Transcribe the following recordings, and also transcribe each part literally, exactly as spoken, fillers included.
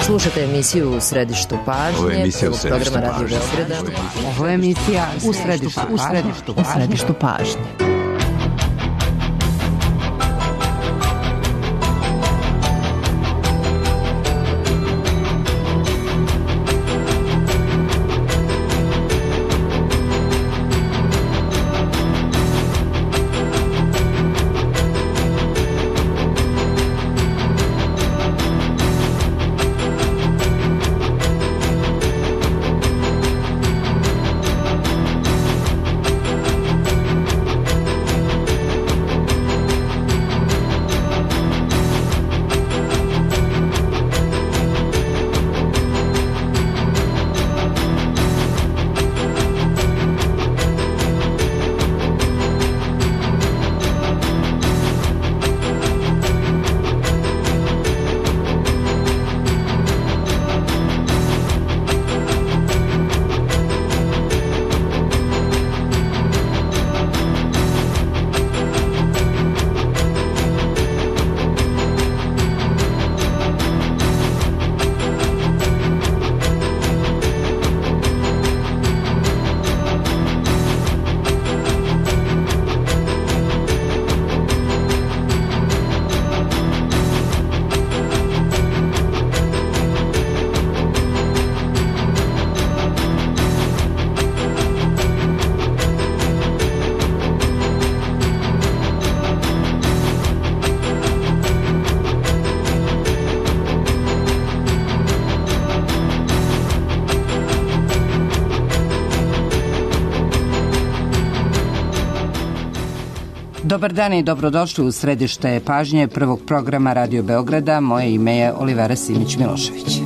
Slušate emisiju U središtu pažnje. Ovo je emisija U središtu programa pažnje. Radio Beograda. Ovo je emisija U središtu, u središtu, u središtu pažnje. Dobar dan i dobrodošli u središte pažnje prvog programa Radio Beograda. Moje ime je Olivera Simić-Milošević.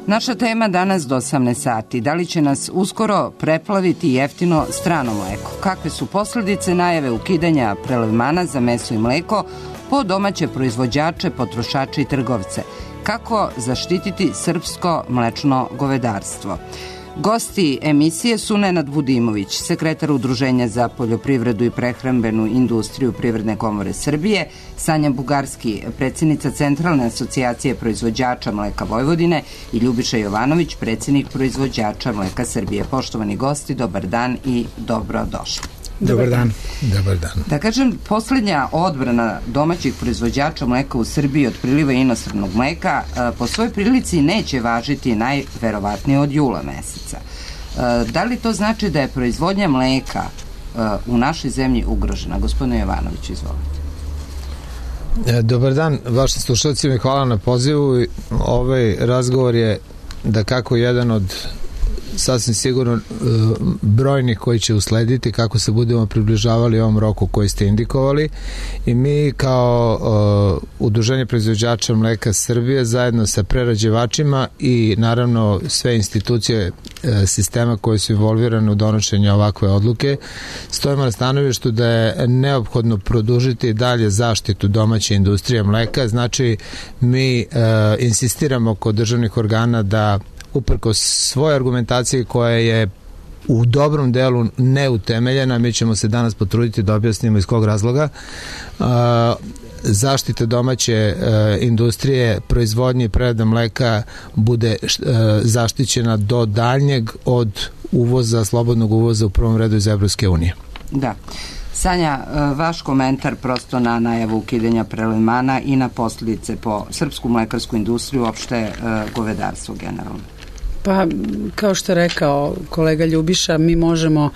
Naša tema danas do osamnaest sati. Da li će nas uskoro preplaviti jeftino strano mleko? Kakve su posljedice najave ukidanja prelevmana za meso i mleko po domaće proizvođače, potrošače i trgovce? Kako zaštititi srpsko mlečno govedarstvo? Gosti emisije su Nenad Vudimović, sekretar Udruženja za poljoprivredu i prehrambenu industriju Privredne komore Srbije, Sanja Bugarski, predsjednica Centralne asocijacije proizvođača mleka Vojvodine i Ljubiša Jovanović, predsjednik proizvođača mleka Srbije. Poštovani gosti, dobar dan i dobrodošli. Dobar dan. Dobar dan. Da kažem, posljednja odbrana domaćih proizvođača mleka u Srbiji od priliva inostranog mleka po svojoj prilici neće važiti najverovatnije od jula meseca. Da li to znači da je proizvodnja mleka u našoj zemlji ugrožena? Gospodine Jovanović, izvolite. Dobar dan vašim slušalcima i hvala na pozivu. Ovaj razgovor je da kako jedan od sasvim sigurno brojnih koji će uslediti kako se budemo približavali ovom roku koji ste indikovali, i mi kao uh, Udruženje proizvođača mleka Srbije zajedno sa prerađivačima i naravno sve institucije uh, sistema koje su involvirane u donošenju ovakve odluke stojimo na stanovištu da je neophodno produžiti dalje zaštitu domaće industrije mleka. Znači mi uh, insistiramo kod državnih organa da uprkos svoje argumentacije koja je u dobrom delu neutemeljena, mi ćemo se danas potruditi da objasnimo iz kog razloga, zaštita domaće industrije, proizvodnje i prerade mleka bude zaštićena do daljnjeg od uvoza, slobodnog uvoza u prvom redu iz Evropske unije. Da. Sanja, vaš komentar prosto na najavu ukidanja prelevmana i na posljedice po srpsku mlekarsku industriju, uopšte govedarstvo generalno. Pa, kao što je rekao kolega Ljubiša, mi možemo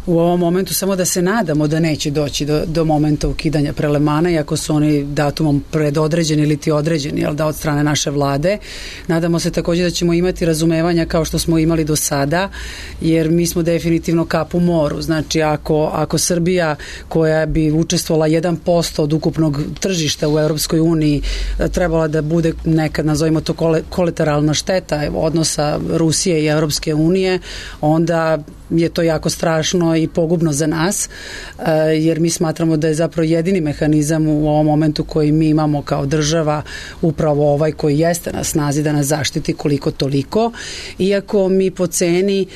u ovom momentu samo da se nadamo da neće doći do, do momenta ukidanja prelevmana, iako su oni datumom predodređeni ili ti određeni, jel da, od strane naše vlade. Nadamo se također da ćemo imati razumevanja kao što smo imali do sada, jer mi smo definitivno kap u moru. Znači, ako, ako Srbija, koja bi učestvovala jedan posto od ukupnog tržišta u Europskoj uniji, trebala da bude nekad, nazovimo to, kolateralna šteta odnosa Rusije i Europske unije, onda je to jako strašno štetno i pogubno za nas, jer mi smatramo da je zapravo jedini mehanizam u ovom momentu koji mi imamo kao država upravo ovaj koji jeste na snazi da nas zaštiti koliko toliko, iako mi po ceni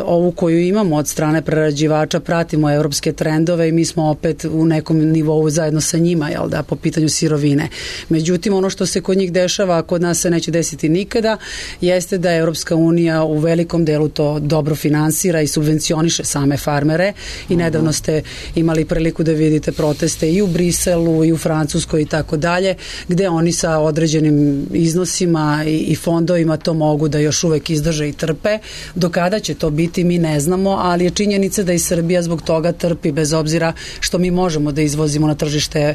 ovu koju imamo od strane prerađivača pratimo evropske trendove i mi smo opet u nekom nivou zajedno sa njima, jel da, po pitanju sirovine. Međutim, ono što se kod njih dešava, a kod nas se neće desiti nikada, jeste da Evropska unija u velikom delu to dobro finansira i subvencioniše same farmere i nedavno ste imali priliku da vidite proteste i u Briselu i u Francuskoj i tako dalje, gde oni sa određenim iznosima i, i fondovima to mogu da još uvek izdrže i trpe. Do kada će to biti mi ne znamo, ali je činjenica da i Srbija zbog toga trpi, bez obzira što mi možemo da izvozimo na tržište e,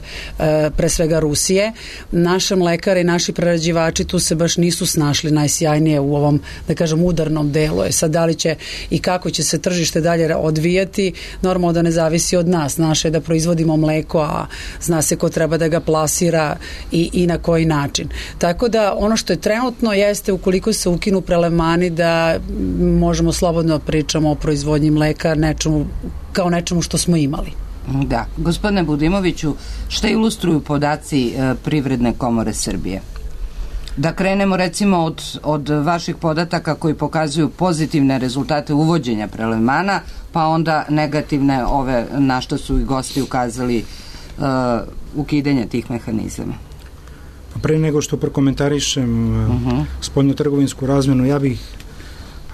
pre svega Rusije. Naše mlekare i naši prerađivači tu se baš nisu snašli najsjajnije u ovom, da kažem, udarnom delu. E sad, da li će i kako će se tržište dalje odvijati, normalno da ne zavisi od nas. Naše je da proizvodimo mleko, a zna se ko treba da ga plasira i, i na koji način. Tako da ono što je trenutno jeste, ukoliko se ukinu prelevmani, da možemo slobodno pričamo o proizvodnji mleka nečemu, kao nečemu što smo imali. Da. Gospodine Budimoviću, šta ilustruju podaci e, Privredne komore Srbije? Da krenemo recimo od, od vaših podataka koji pokazuju pozitivne rezultate uvođenja prelevmana, pa onda negativne ove na što su i gosti ukazali uh, ukidanje tih mehanizama. Pa pre nego što prokomentarišem uh, uh-huh. spoljnotrgovinsku razmenu, ja bih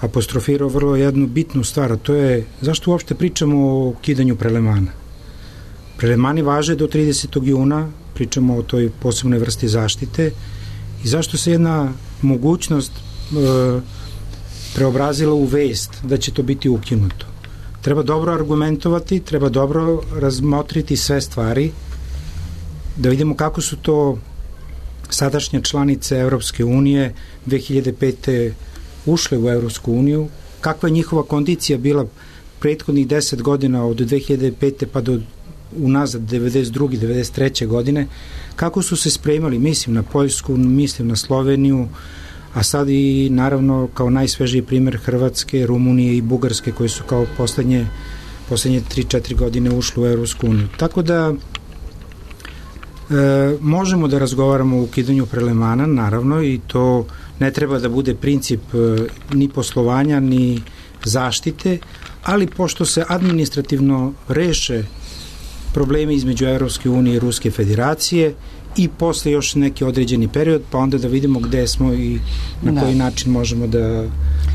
apostrofirao vrlo jednu bitnu stvar, a to je zašto uopšte pričamo o ukidanju prelevmana. Prelevmani važe do tridesetog juna, pričamo o toj posebnoj vrsti zaštite. I zašto se jedna mogućnost e, preobrazila u vest da će to biti ukinuto? Treba dobro argumentovati, treba dobro razmotriti sve stvari, da vidimo kako su to sadašnje članice Evropske unije dve hiljade pete ušle u Evropsku uniju, kakva je njihova kondicija bila prethodnih deset godina od dve hiljade pete pa do unazad devedeset druge devedeset treće godine, kako su se spremali, mislim na Poljsku, mislim na Sloveniju, a sad i naravno kao najsvežiji primjer Hrvatske, Rumunije i Bugarske koje su kao poslednje, poslednje tri četiri godine ušle u Evropsku uniju. Tako da e, možemo da razgovaramo o ukidanju prelevmana, naravno, i to ne treba da bude princip e, ni poslovanja, ni zaštite, ali pošto se administrativno reše problemi između Evropske unije i Ruske federacije i posle još neki određeni period, pa onda da vidimo gde smo i na da. koji način možemo da,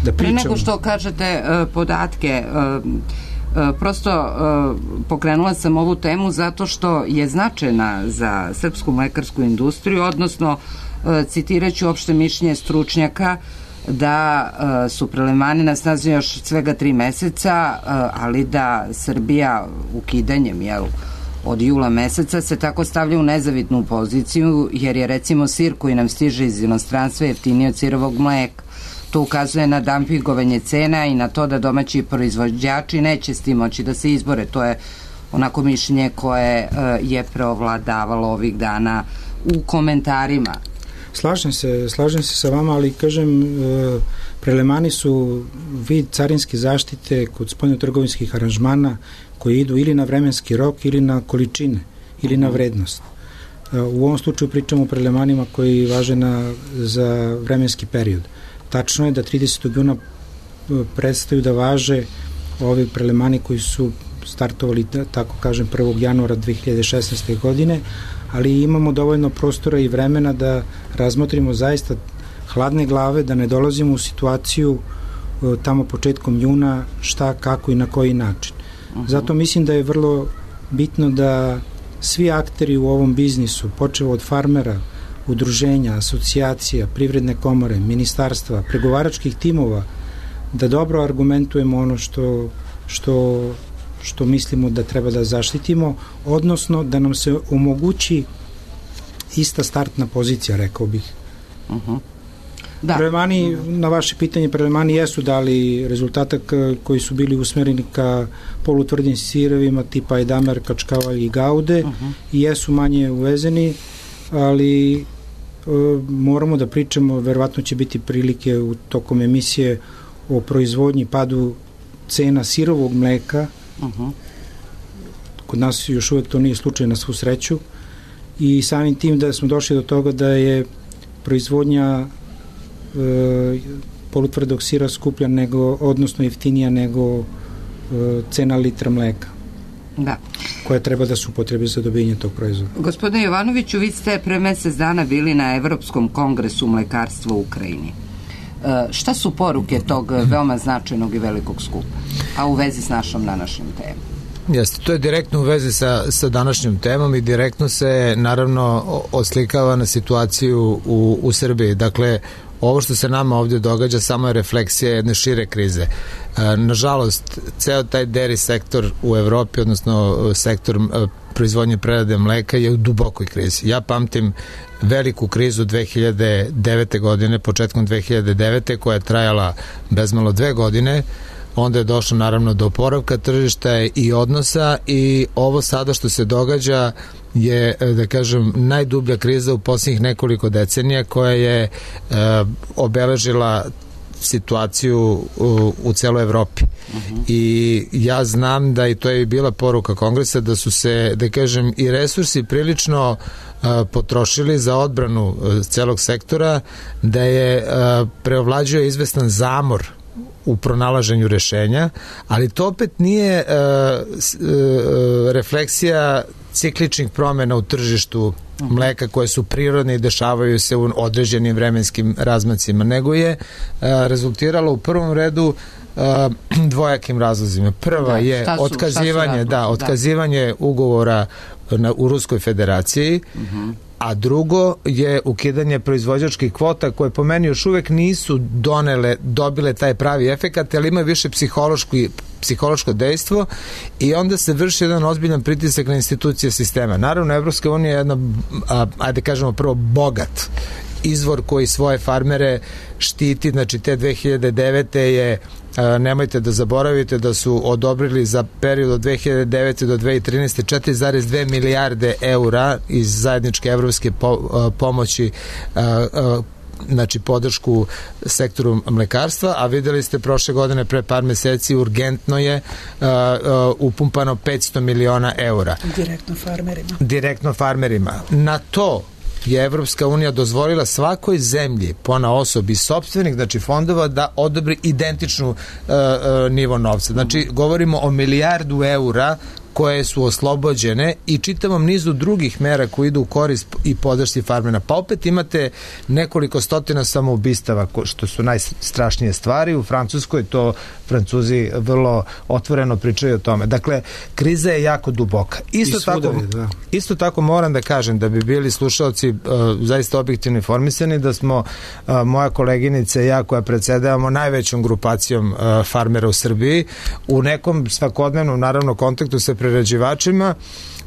da pričamo. Pre nego što kažete uh, podatke, uh, uh, prosto uh, pokrenula sam ovu temu zato što je značajna za srpsku mlekarsku industriju, odnosno uh, citiraću opšte mišljenje stručnjaka da uh, su prelevmani na snazi još svega tri meseca, uh, ali da Srbija ukidanjem, jel, od jula meseca se tako stavlja u nezavitnu poziciju, jer je recimo sir koji nam stiže iz inostranstva jeftiniji od sirovog mleka. To ukazuje na dampingovanje cena i na to da domaći proizvođači neće s tim moći da se izbore. To je onako mišljenje koje uh, je preovladavalo ovih dana u komentarima. Slažem se, slažem se sa vama, ali kažem, e, prelevmani su vid carinske zaštite kod spoljnotrgovinskih aranžmana koji idu ili na vremenski rok ili na količine ili na vrednost. E, u ovom slučaju pričamo o prelevmanima koji važe na, za vremenski period. Tačno je da tridesetog juna prestaju da važe ovi prelevmani koji su startovali, da, tako kažem, prvog januara dve hiljade šesnaeste. godine, ali imamo dovoljno prostora i vremena da razmotrimo zaista hladne glave, da ne dolazimo u situaciju tamo početkom juna šta, kako i na koji način. Zato mislim da je vrlo bitno da svi akteri u ovom biznisu, počevo od farmera, udruženja, asocijacija, privredne komore, ministarstva, pregovaračkih timova, da dobro argumentujemo ono što, što što mislimo da treba da zaštitimo, odnosno da nam se omogući ista startna pozicija, rekao bih. Uh-huh. Da. Prelevmani, na vaše pitanje, prelevmani jesu dali rezultatak koji su bili usmereni ka polutvrdim sirovima tipa Edamer, Kačkavalj i Gaude, uh-huh. i jesu manje uvezeni, ali e, moramo da pričamo, verovatno će biti prilike u tokom emisije o proizvodnji, padu cena sirovog mleka, uh-huh. kod nas još uvek to nije slučaj na svu sreću, i samim tim da smo došli do toga da je proizvodnja e, polutvrdog sira skuplja nego, odnosno jeftinija nego e, cena litra mleka. Da. Koja treba da se upotrebi za dobijanje tog proizvoda. Gospodine Jovanoviću, vi ste pre mesec dana bili na Evropskom kongresu mlekarstva u Ukrajini. E, šta su poruke tog veoma značajnog i velikog skupa, a u vezi s našom današnjom temom? Jeste, to je direktno u vezi sa, sa današnjom temom i direktno se naravno oslikava na situaciju u, u Srbiji. Dakle, ovo što se nama ovdje događa samo je refleksija jedne šire krize. E, nažalost, ceo taj dairy sektor u Evropi, odnosno sektor e, proizvodnje prerade mleka je u dubokoj krizi. Ja pamtim veliku krizu dve hiljade devete godine, početkom dve hiljade devete koja je trajala bezmalo dve godine. Onda je došlo naravno do oporavka tržišta i odnosa i ovo sada što se događa je, da kažem, najdublja kriza u posljednjih nekoliko decenija koja je e, obeležila situaciju u, u celoj Evropi. Uh-huh. I ja znam da i to je bila poruka kongresa da su se, da kažem, i resursi prilično uh, potrošili za odbranu uh, celog sektora, da je uh, preovlađio izvestan zamor u pronalaženju rešenja, ali to opet nije uh, uh, refleksija cikličnih promjena u tržištu mleka koje su prirodne i dešavaju se u određenim vremenskim razmacima, nego je uh, rezultiralo u prvom redu uh, dvojakim razlozima. Prva da, je su, otkazivanje, da, otkazivanje da. ugovora na, u Ruskoj federaciji, uh-huh. a drugo je ukidanje proizvođačkih kvota koje po meni još uvek nisu donele, dobile taj pravi efekat, ali imaju više psihološki, psihološko dejstvo i onda se vrši jedan ozbiljan pritisak na institucije sistema. Naravno, Evropska unija je jedna, a, ajde kažemo prvo, bogat izvor koji svoje farmere štiti, znači te dve hiljade devete je, a, nemojte da zaboravite da su odobrili za period od dve hiljade devete do dve hiljade trinaeste četiri zarez dve milijarde eura iz zajedničke evropske po, a, pomoći a, a, znači podršku sektoru mlekarstva, a videli ste prošle godine pre par meseci urgentno je uh, uh, upumpano petsto miliona eura. Direktno farmerima. Direktno farmerima. Na to je Evropska unija dozvolila svakoj zemlji pona osobi sopstvenih, znači fondova, da odobri identičnu uh, uh, nivo novca. Znači, govorimo o milijardu eura koje su oslobođene i čitavom nizu drugih mera koji idu u korist i podršci farmera. Pa opet imate nekoliko stotina samoubistava, što su najstrašnije stvari. U Francuskoj to Francuzi vrlo otvoreno pričaju o tome. Dakle, kriza je jako duboka. Isto, tako, da. isto tako moram da kažem da bi bili slušalci uh, zaista objektivno informisani da smo uh, moja koleginica i ja koja predsedavamo najvećom grupacijom uh, farmera u Srbiji u nekom svakodnevnom naravno kontaktu sa prerađivačima,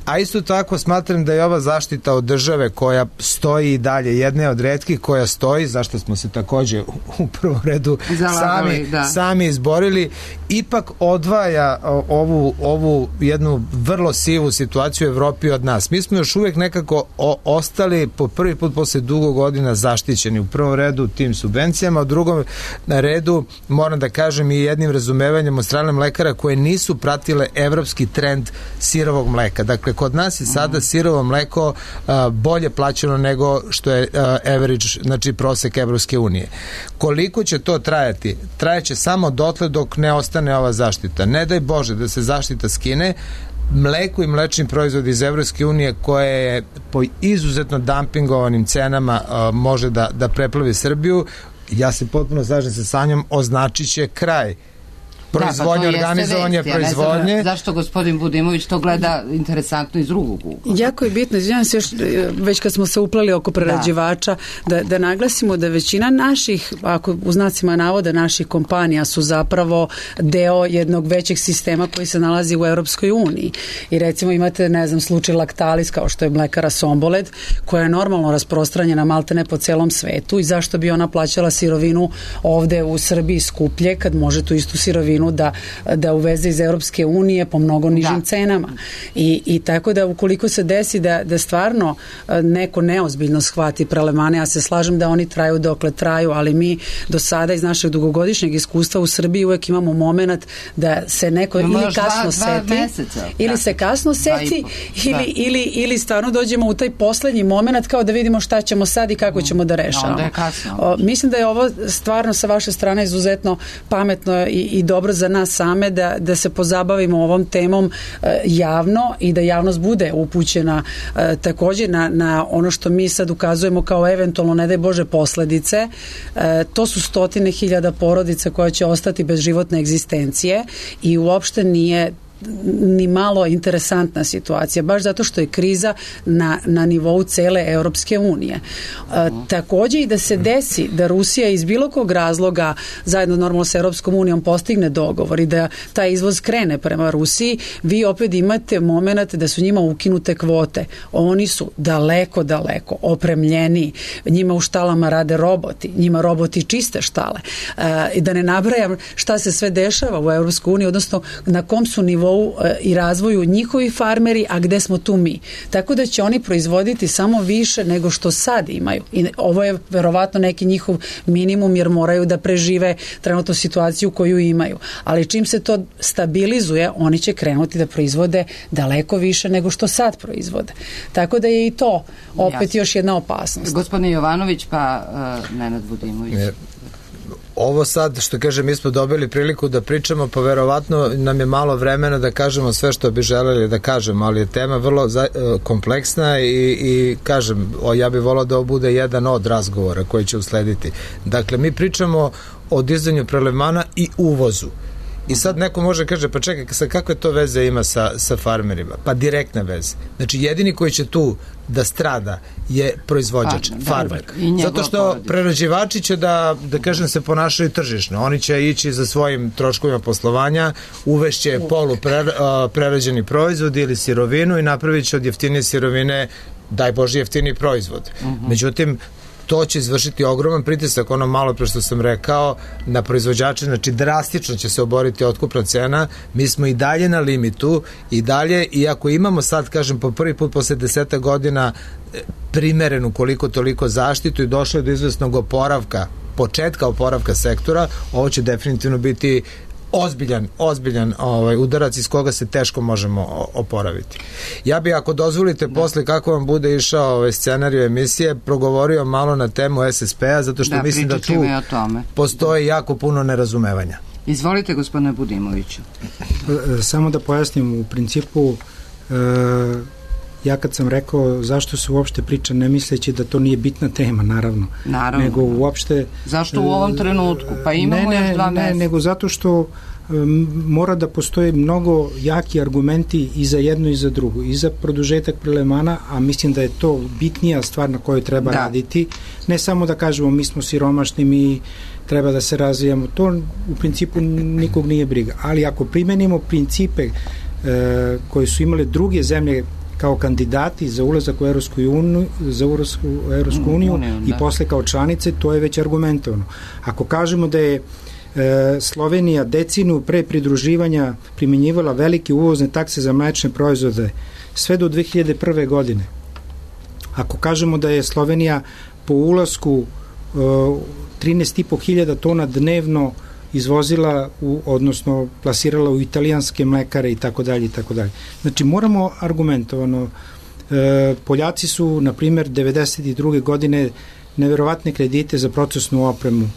a isto tako smatram da je ova zaštita od države koja stoji i dalje, jedna od retkih koja stoji, zašto smo se takođe u prvom redu Zalagali, sami, da. sami izborili, ipak odvaja ovu, ovu jednu vrlo sivu situaciju u Evropi od nas. Mi smo još uvek nekako o, ostali po prvi put posle dugo godina zaštićeni u prvom redu tim subvencijama, u drugom redu moram da kažem i jednim razumevanjem od strane mlekara koje nisu pratile evropski trend sirovog mleka. Dakle, kod nas je sada sirovo mleko uh, bolje plaćeno nego što je uh, average, znači prosek Evropske unije. Koliko će to trajati? Trajaće samo dotle dok ne ostane ova zaštita. Ne daj Bože da se zaštita skine, mleko i mlečni proizvod iz Evropske unije koje je po izuzetno dumpingovanim cenama uh, može da, da preplavi Srbiju, ja se potpuno slažem sa Sanjom, označit će kraj proizvodnje, da, pa organizovanje proizvodnje. Ja zašto gospodin Budimović to gleda interesantno iz drugog ugla? Jako je bitno, izvinjam se još, već kad smo se uplali oko prerađivača, da. Da, da naglasimo da većina naših, ako u znacima navoda naših kompanija su zapravo deo jednog većeg sistema koji se nalazi u Europskoj uniji. I recimo imate, ne znam, slučaj Lactalis, kao što je mlekara Somboled, koja je normalno rasprostranjena maltene po celom svetu i zašto bi ona plaćala sirovinu ovde u Srbiji skuplje kad može tu istu sirovinu sirovinu da, da uveze iz Europske unije po mnogo nižim da. cenama. I, I tako da ukoliko se desi da, da stvarno neko neozbiljno shvati prelemane, ja se slažem da oni traju dokle traju, ali mi do sada iz našeg dugogodišnjeg iskustva u Srbiji uvek imamo moment da se neko ili kasno dva, seti dva meseca, ili da. se kasno seti ili, ili, ili stvarno dođemo u taj poslednji moment kao da vidimo šta ćemo sad i kako ćemo da rešavamo. Onda je kasno. O, mislim da je ovo stvarno sa vaše strane izuzetno pametno i, i dobro za nas same da, da se pozabavimo ovom temom e, javno i da javnost bude upućena e, takođe na, na ono što mi sad ukazujemo kao eventualno, ne daj Bože, posledice. E, to su stotine hiljada porodica koja će ostati bez životne egzistencije i uopšte nije ni malo interesantna situacija, baš zato što je kriza na, na nivou cele Europske unije. E, takođe i da se desi da Rusija iz bilo kog razloga zajedno normalno sa Europskom unijom postigne dogovor i da taj izvoz krene prema Rusiji, vi opet imate moment da su njima ukinute kvote. Oni su daleko, daleko opremljeni. Njima u štalama rade roboti. Njima roboti čiste štale. E, i da ne nabrajam šta se sve dešava u Europskoj uniji, odnosno na kom su nivou i razvoju njihovi farmeri, a gde smo tu mi. Tako da će oni proizvoditi samo više nego što sad imaju. I ovo je verovatno neki njihov minimum jer moraju da prežive trenutnu situaciju koju imaju. Ali čim se to stabilizuje, oni će krenuti da proizvode daleko više nego što sad proizvode. Tako da je i to opet Jasne. još jedna opasnost. Gospodine Jovanović, pa uh, Nenad Budimović. Je. Ovo sad, što kažem, mi smo dobili priliku da pričamo, pa verovatno nam je malo vremena da kažemo sve što bi želeli da kažemo, ali je tema vrlo za, kompleksna i, i kažem, o, ja bih volao da ovo bude jedan od razgovora koji će uslediti. Dakle, mi pričamo o dizanju prelevmana i uvozu. I sad neko može kaže, pa čekaj, sa kakve to veze ima sa, sa farmerima? Pa direktna veze. Znači, jedini koji će tu da strada je proizvođač, pa, farmer. Zato što porodica. Prerađivači će da, da kažem, se ponašaju tržišno. Oni će ići za svojim troškovima poslovanja, uvešće polu pre, prerađeni proizvod ili sirovinu i napravit će od jeftinije sirovine, daj Bože, jeftiniji proizvod. Uh-huh. Međutim, to će izvršiti ogroman pritisak, ono malo pre što sam rekao, na proizvođače, znači drastično će se oboriti otkupna cena. Mi smo i dalje na limitu i dalje, iako imamo sad, kažem, po prvi put posle deseta godina primerenu koliko toliko zaštitu i došlo je do izvesnog oporavka, početka oporavka sektora, ovo će definitivno biti ozbiljan, ozbiljan ovaj, udarac iz koga se teško možemo oporaviti. Ja bi, ako dozvolite, da. posle kako vam bude išao ovaj scenarij emisije, progovorio malo na temu S S P-a, zato što da, mislim da tu postoji jako puno nerazumevanja. Izvolite, gospodine Budimoviću. Samo da pojasnim, u principu e, ja kad sam rekao zašto se uopšte priča, ne misleći da to nije bitna tema, naravno. Naravno. Nego uopšte... Zašto u ovom trenutku? Pa imamo ne, ne, još dva ne, meseca. Nego zato što um, mora da postoje mnogo jaki argumenti i za jedno i za drugo. I za produžetak prelevmana, a mislim da je to bitnija stvar na kojoj treba da. raditi. Ne samo da kažemo mi smo siromašni, mi treba da se razvijamo. To u principu nikog nije briga. Ali ako primenimo principe uh, koje su imale druge zemlje kao kandidati za ulazak u Evropsku uniju, za ulazak u Evropsku uniju mm, i da. posle kao članice, to je već argumentovano. Ako kažemo da je e, Slovenija decinu pre pridruživanja primjenjivala velike uvozne takse za mlečne proizvode sve do dve hiljade prve. godine. Ako kažemo da je Slovenija po ulasku e, trinaest i po hiljada tona dnevno izvozila, u, odnosno plasirala u italijanske mlekare i tako dalje i tako dalje. Znači moramo argumentovano, e, Poljaci su na primjer devedeset druge. godine neverovatne kredite za procesnu opremu.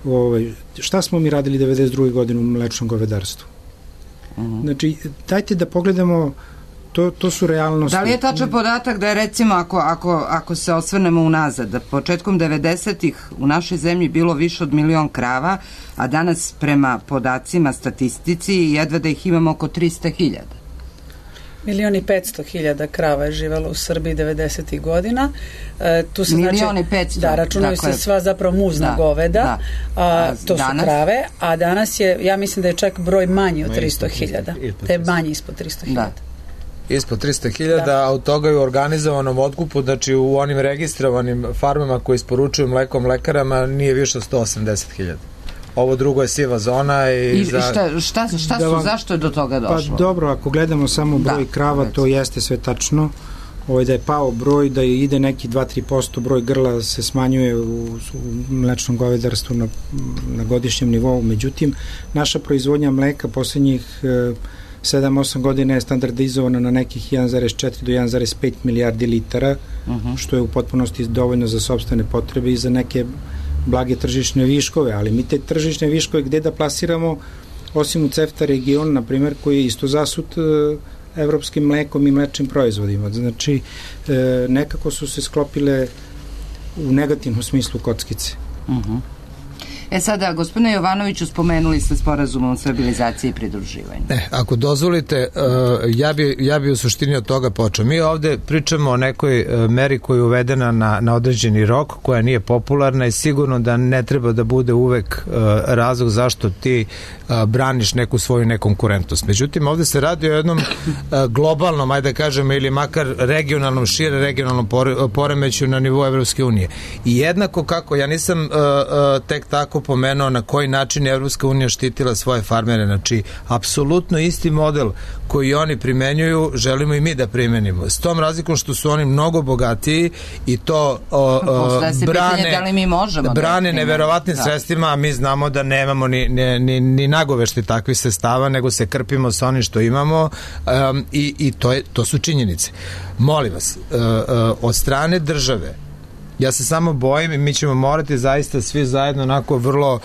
Ovaj, šta smo mi radili devedeset druge. godine u mlečnom govedarstvu? Uh-huh. Znači dajte da pogledamo, To, to su realnosti. Da li je tačan podatak da je, recimo, ako, ako, ako se osvrnemo unazad, da početkom devedesetih u našoj zemlji bilo više od milion krava, a danas prema podacima statistici jedva da ih imamo oko trista hiljada? Milion i petsto hiljada krava je živelo u Srbiji devedesetih godina. E, tu se Milion i petsto. Da, računaju dakle, se sva zapravo muzna da, goveda. Da. A, to danas? Su krave, a danas je, ja mislim da je čak broj manji od tristo hiljada. Da je manji ispod tristo hiljada. Da. Ispod trista hiljada, a od toga je u organizovanom otkupu, znači u onim registrovanim farmama koji isporučuju mleko mlekarama nije više od sto osamdeset hiljada. ovo drugo je siva zona. I, I za... šta, šta, šta su, vam, zašto je do toga došlo? Pa dobro, ako gledamo samo broj da, krava, recimo. To jeste sve tačno. Ovo da je pao broj, da ide neki dva do tri posto broj grla se smanjuje u, u mlečnom govedarstvu na, na godišnjem nivou. Međutim, naša proizvodnja mleka poslednjih e, sedam osam godina je standardizovana na nekih jedan zarez četiri do jedan zarez pet milijardi litara, uh-huh. što je u potpunosti dovoljno za sopstvene potrebe i za neke blage tržišne viškove, ali mi te tržišne viškove gde da plasiramo, osim u CEFTA region, na primjer, koji je isto zasut e, evropskim mlekom i mlečnim proizvodima. Znači, e, nekako su se sklopile u negativnom smislu kockice. Uh-huh. E sada, gospodine Jovanoviću, spomenuli ste sporazum o stabilizaciji i pridruživanju. Ne, ako dozvolite, uh, ja, bi, ja bi u suštini od toga počeo. Mi ovde pričamo o nekoj uh, meri koja je uvedena na, na određeni rok, koja nije popularna i sigurno da ne treba da bude uvek uh, razlog zašto ti uh, braniš neku svoju nekonkurentnost. Međutim, ovde se radi o jednom uh, globalnom, ajde da kažemo, ili makar regionalnom, šire regionalnom pore, poremeću na nivou Evropske unije. I jednako kako, ja nisam uh, uh, tek tako pomenuo na koji način je Evropska unija štitila svoje farmere, znači apsolutno isti model koji oni primenjuju želimo i mi da primenimo. S tom razlikom što su oni mnogo bogatiji i to o, o, brane, da li mi možemo brane da neverovatnim da. sredstvima, a mi znamo da nemamo ni, ni, ni, ni nagovešti takvih sredstava, nego se krpimo sa onim što imamo um, i, i to, je, to su činjenice. Molim vas, uh, uh, od strane države ja se samo bojim i mi ćemo morati zaista svi zajedno onako vrlo uh,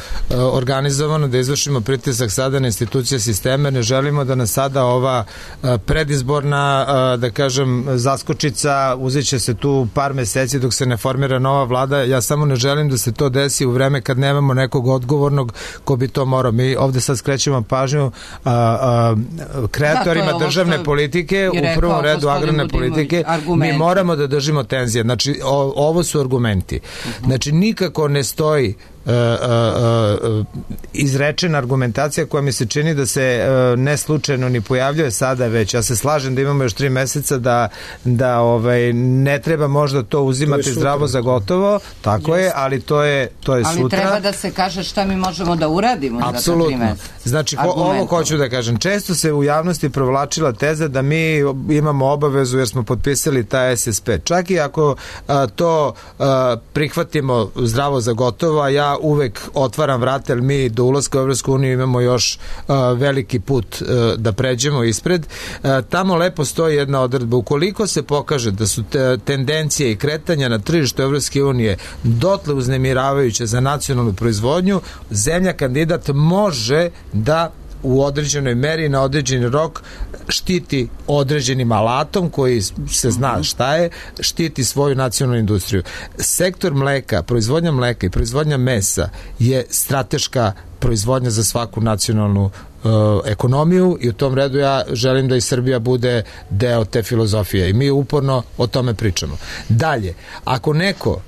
organizovano da izvršimo pritisak sada na institucije sistema, ne želimo da nas sada ova uh, predizborna uh, da kažem zaskočica uzet će se tu par meseci dok se ne formira nova vlada, ja samo ne želim da se to desi u vreme kad nemamo nekog odgovornog ko bi to morao. Mi ovde sad skrećemo pažnju uh, uh, kreatorima da, državne politike, u prvom redu agrarne politike, mi moramo da držimo tenzije, znači o, ovo su argumenti. Znači, nikako ne stoji Uh, uh, uh, izrečena argumentacija koja mi se čini da se uh, ne slučajno ni pojavljuje sada već. Ja se slažem da imamo još tri meseca da, da ovaj, ne treba možda to uzimati to zdravo za gotovo, tako yes. je, ali to je, to je ali sutra. Ali treba da se kaže šta mi možemo da uradimo apsolutno. Za to tri meseca. Znači, ho, ovo hoću da kažem. Često se u javnosti provlačila teza da mi imamo obavezu jer smo potpisali taj S S P. Čak i ako uh, to uh, prihvatimo zdravo za gotovo, a ja uvek otvaram vrata, jer mi do ulaska u Evropsku uniju imamo još uh, veliki put uh, da pređemo ispred. Uh, tamo lepo stoji jedna odredba. Ukoliko se pokaže da su te tendencije i kretanja na tržištu Evropske unije dotle uznemiravajuće za nacionalnu proizvodnju, zemlja kandidat može da u određenoj meri na određeni rok štiti određenim alatom koji se zna šta je, štiti svoju nacionalnu industriju. Sektor mleka, proizvodnja mleka i proizvodnja mesa je strateška proizvodnja za svaku nacionalnu uh, ekonomiju i u tom redu ja želim da i Srbija bude deo te filozofije i mi uporno o tome pričamo. Dalje, ako neko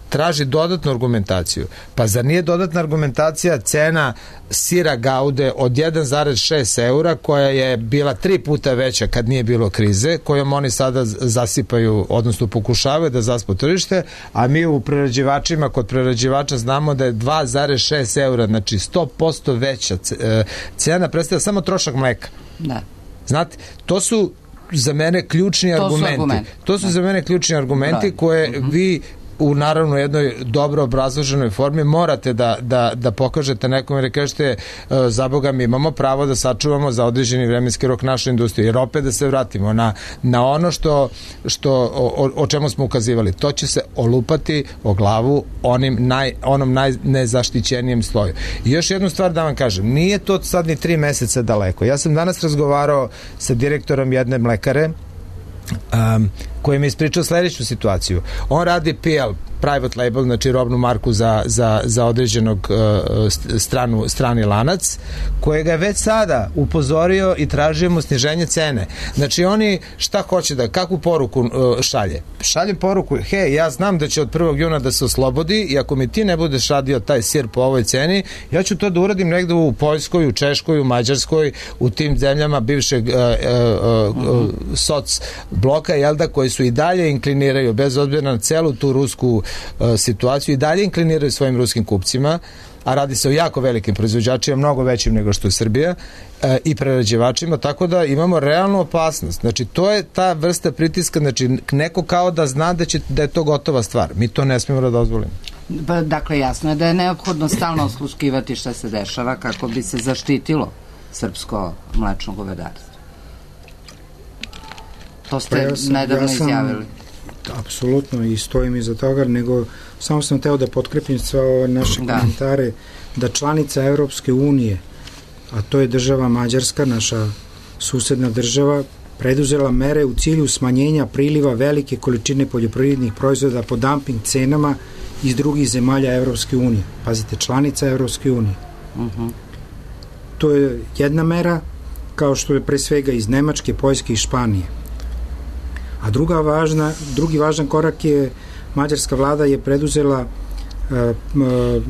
traži dodatnu argumentaciju, pa zar nije dodatna argumentacija cena sira Gaude od jedan zarez šest eura koja je bila tri puta veća kad nije bilo krize, kojom oni sada zasipaju, odnosno pokušavaju da zaspu tržište, a mi u prerađivačima, kod prerađivača znamo da je dva zarez šest eura, znači sto posto veća cena, predstavlja samo trošak mleka. Da. Znate, to su za mene ključni to argumenti. Su argumenti. To su da. za mene ključni argumenti koje uh-huh. vi u naravno jednoj dobro obrazloženoj formi morate da, da, da pokažete nekome da kažete za Boga mi imamo pravo da sačuvamo za određeni vremenski rok našu industriju, jer opet da se vratimo na, na ono što, što o, o čemu smo ukazivali, to će se olupati o glavu onim naj, onom najnezaštićenijem sloju. I još jednu stvar da vam kažem, nije to sad ni tri meseca daleko. Ja sam danas razgovarao sa direktorom jedne mlekare Um, koji mi ispričao sledeću situaciju. On radi P L, private label, znači robnu marku za, za, za određenog uh, stranu, strani lanac, kojega je već sada upozorio i tražio mu sniženje cene. Znači oni šta hoće da, kakvu poruku uh, šalje? Šalje poruku, hej, ja znam da će od prvog juna da se oslobodi i ako mi ti ne budeš radio taj sir po ovoj ceni, ja ću to da uradim negde u Poljskoj, u Češkoj, u Mađarskoj, u tim zemljama bivšeg uh, uh, uh, soc bloka, jel da, koji su i dalje inkliniraju, bez obzira na celu tu rusku uh, situaciju, i dalje inkliniraju svojim ruskim kupcima, a radi se o jako velikim proizvođačima, mnogo većim nego što je Srbija, e, i prerađivačima, tako da imamo realnu opasnost. Znači, to je ta vrsta pritiska, znači, neko kao da zna da, će, da je to gotova stvar. Mi to ne smijemo da dozvolimo. Pa, dakle, jasno je da je neophodno stalno osluškivati šta se dešava kako bi se zaštitilo srpsko mlečno govedarstvo. To ste pa ja sam, nedavno ja sam, izjavili. Apsolutno, i stojim iza toga, nego samo sam teo da potkrepim sve ove naše da. komentare, da članica Evropske unije, a to je država Mađarska, naša susedna država, preduzela mere u cilju smanjenja priliva velike količine poljoprivrednih proizvoda po dumping cenama iz drugih zemalja Evropske unije. Pazite, članica Evropske unije. Uh-huh. To je jedna mera, kao što je pre svega iz Nemačke, Poljske i Španije. A druga važna, drugi važan korak je, mađarska vlada je preduzela uh, uh,